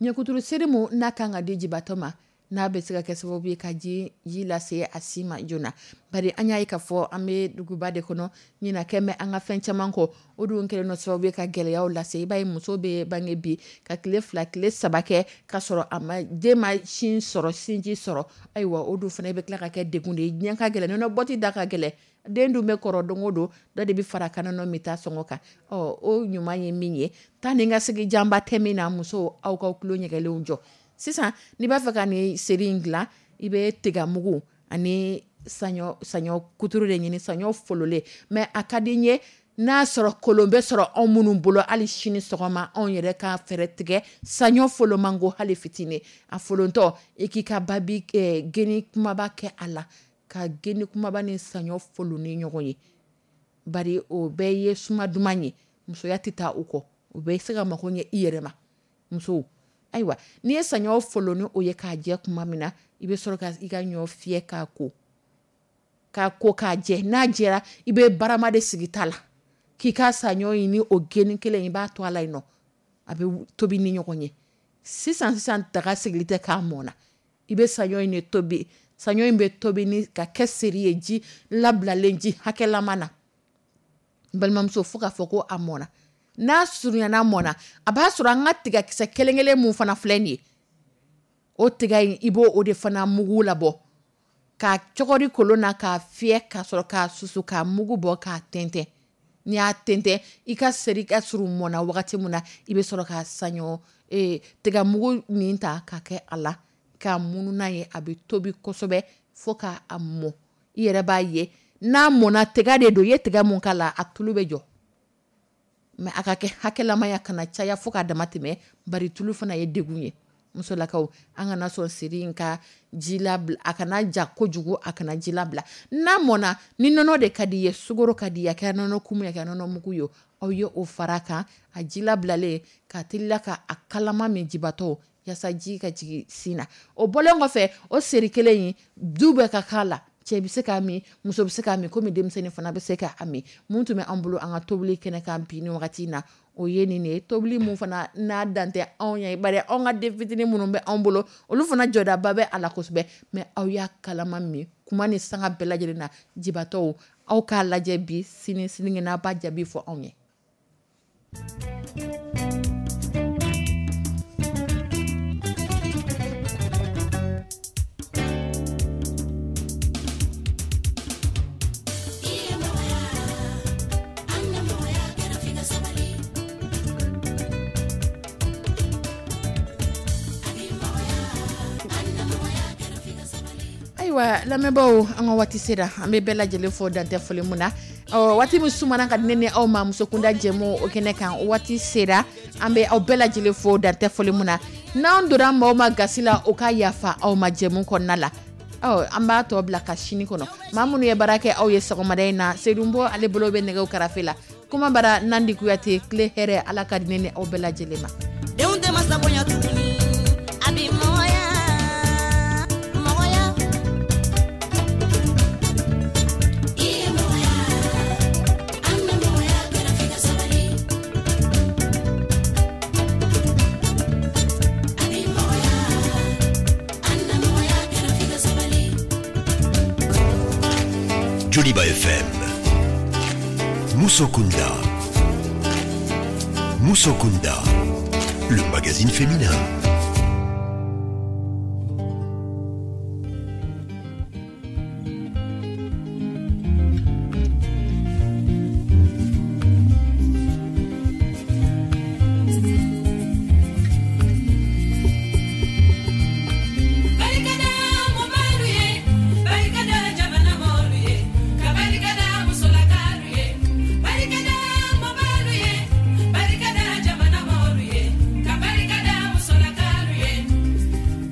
S2: Ɲɔkuturu seri mun n'a kan ka di jibatɔ ma, n'a bɛ se ka kɛ sababu ye ka ji ji lase a si ma joona, bari an y'a ye k'a fɔ an bɛ duguba de kɔnɔ, ɲinɛ kɛ bɛ an ka fɛn caman kɔ. O dun kɛlen don sababu ye ka gɛlɛyaw lase. I b'a ye, muso bɛ bange bi ka tile fila, tile saba kɛ k'a sɔrɔ a ma den ma sin sɔrɔ, sinji sɔrɔ. Ayiwa, o dun fana bɛ tila ka kɛ degun de ye. Diɲɛ ka gɛlɛn, nɔnɔ bɔti da ka gɛlɛn, den dun bɛ kɔrɔ don o don, dɔ de bɛ fara ka nɔnɔ min taa sɔngɔ kan. Ɔ, o ɲuman ye min ye, taa ni ka segin janba tɛ min na. Muso, aw ka tulo ɲɛgɛlenw jɔ sisan. N'i b'a fɛ ka nin seri in dilan, i bɛ tigamugu ani saɲɔ saɲɔ kuturu de ɲini, saɲɔ fololen. Mais a ka di n ye n'a sɔrɔ kolon bɛ sɔrɔ anw minnu bolo, hali sini sɔgɔma anw yɛrɛ ka fɛɛrɛ tigɛ saɲɔ folomango hali fitinin. A folontɔ, i k'i ka babi geni kumaba kɛ a la, ka geni kumaba ni saɲɔ folo ni ɲɔgɔn ye, bari o bɛɛ ye suma duman ye. Musoya tɛ taa o kɔ, o bɛ se ka mago ɲɛ i yɛrɛ ma, musow. Ayiwa, n'i ye saɲɔ folo ni o ye k'a jɛ tuma min na, i bɛ sɔrɔ ka i ka ɲɔ fiyɛ k'a ko k'a ko k'a jɛ. N'a jɛra, i bɛ barama de sigi ta la k'i ka saɲɔ ɲini. O geni kelen, i b'a to a la yen nɔ, a bɛ tobi ni ɲɔgɔn ye. Sisan sisan, daga sigili tɛ k'a mɔnna. I bɛ saɲɔ in de tobi. Saɲɔ in bɛ tobi ni ka kɛ seri ye, ji labilalen, ji hakɛlama na, n balimamuso, fo k'a fɔ ko a mɔnna. N'a surunyana, mɔnna, a b'a sɔrɔ an ka tigakisɛ kelen kelen mun fana filɛ nin ye, o tiga in, i b'o o de fana mugu labɔ k'a cɔgɔri kolon na, k'a fiyɛ, ka sɔrɔ k'a susu, k'a mugu bɔ, k'a tɛntɛn. N'i y'a tɛntɛn, i ka seri ka surun mɔnna wagati min na, i bɛ sɔrɔ ka saɲɔ ee tigamugu nin ta ka kɛ a la k'a munu n'a ye. A bɛ tobi kosɛbɛ fo k'a mɔ. I yɛrɛ b'a ye, n'a mɔnna, tiga de don, i ye tiga mun k'a la, a tulu bɛ jɔ. Mais a ka kɛ hakɛlamaya, kana caya fo k'a dama tɛmɛ, bari tulu fana ye degun ye. Musolakaw, an kana sɔn seri in ka ji labila, a kana ja kojugu, a kana ji labila. N'a mɔnna, ni nɔnɔ de ka di i ye, sukaro ka di i ye, a kɛra nɔnɔ kumu ye, a kɛra nɔnɔ mugu ye, aw ye o fara kan, a ji labilalen, ka teliya ka a kalama min jibatɔ, yaasa ji ka jigin sin na. O bɔlen kɔfɛ, o seri kelen in, du bɛɛ ka k'a la. Cɛ bɛ se k'a min, muso bɛ se k'a min, komi denmisɛnnin fana bɛ se k'a min. Mun tun bɛ an bolo an ka tobili kɛnɛ kan bi ni wagati in na, o ye nin de ye. Tobili mun fana n'a dan tɛ anw ye, bari anw ka den fitinin minnu bɛ anw bolo, olu fana jɔdaba bɛ a la kosɛbɛ. Mais aw y'a kalama min kuma ni sanga bɛɛ lajɛlen na. Jibatɔw, aw k'a lajɛ bi, sini, sinikɛnɛ, a b'a jaabi fɔ anw ye. Ayiwa lamɛnbaaw, an ka waati sera. An bɛ bɛɛ lajɛlen fɔ dantɛ foli mun na. Ɔ, waati min sumana ka di ne ni aw ma musokunda jɛmu o kɛnɛ kan, waati sera. An bɛ aw bɛɛ lajɛlen fo dantɛ foli mun na. N'an donna maaw ma gasi la, o ka yafa aw ma jɛmu kɔnɔna la. Ɔ, an b'a tɔ bila ka sini kɔnɔ. Maa minnu ye baara kɛ aw ye sɔgɔmada in na, Sedunbɔ ale bolo bɛ nɛgɛw karafe la, kuma bara Nandi Kuyate. Tile hɛrɛ, Ala ka di ne ni aw bɛɛ lajɛlen ma.
S5: Denw tɛ masa bonya tuguni, a bɛ mɔgɔya mɔgɔya. I ye mɔgɔya, an na mɔgɔya kɛra f'i ka sabali. A bɛ mɔgɔya, an na mɔgɔya kɛra f'i ka sabali.
S1: Joliba F M. Musokunda. Musokunda. Le magazine féminin.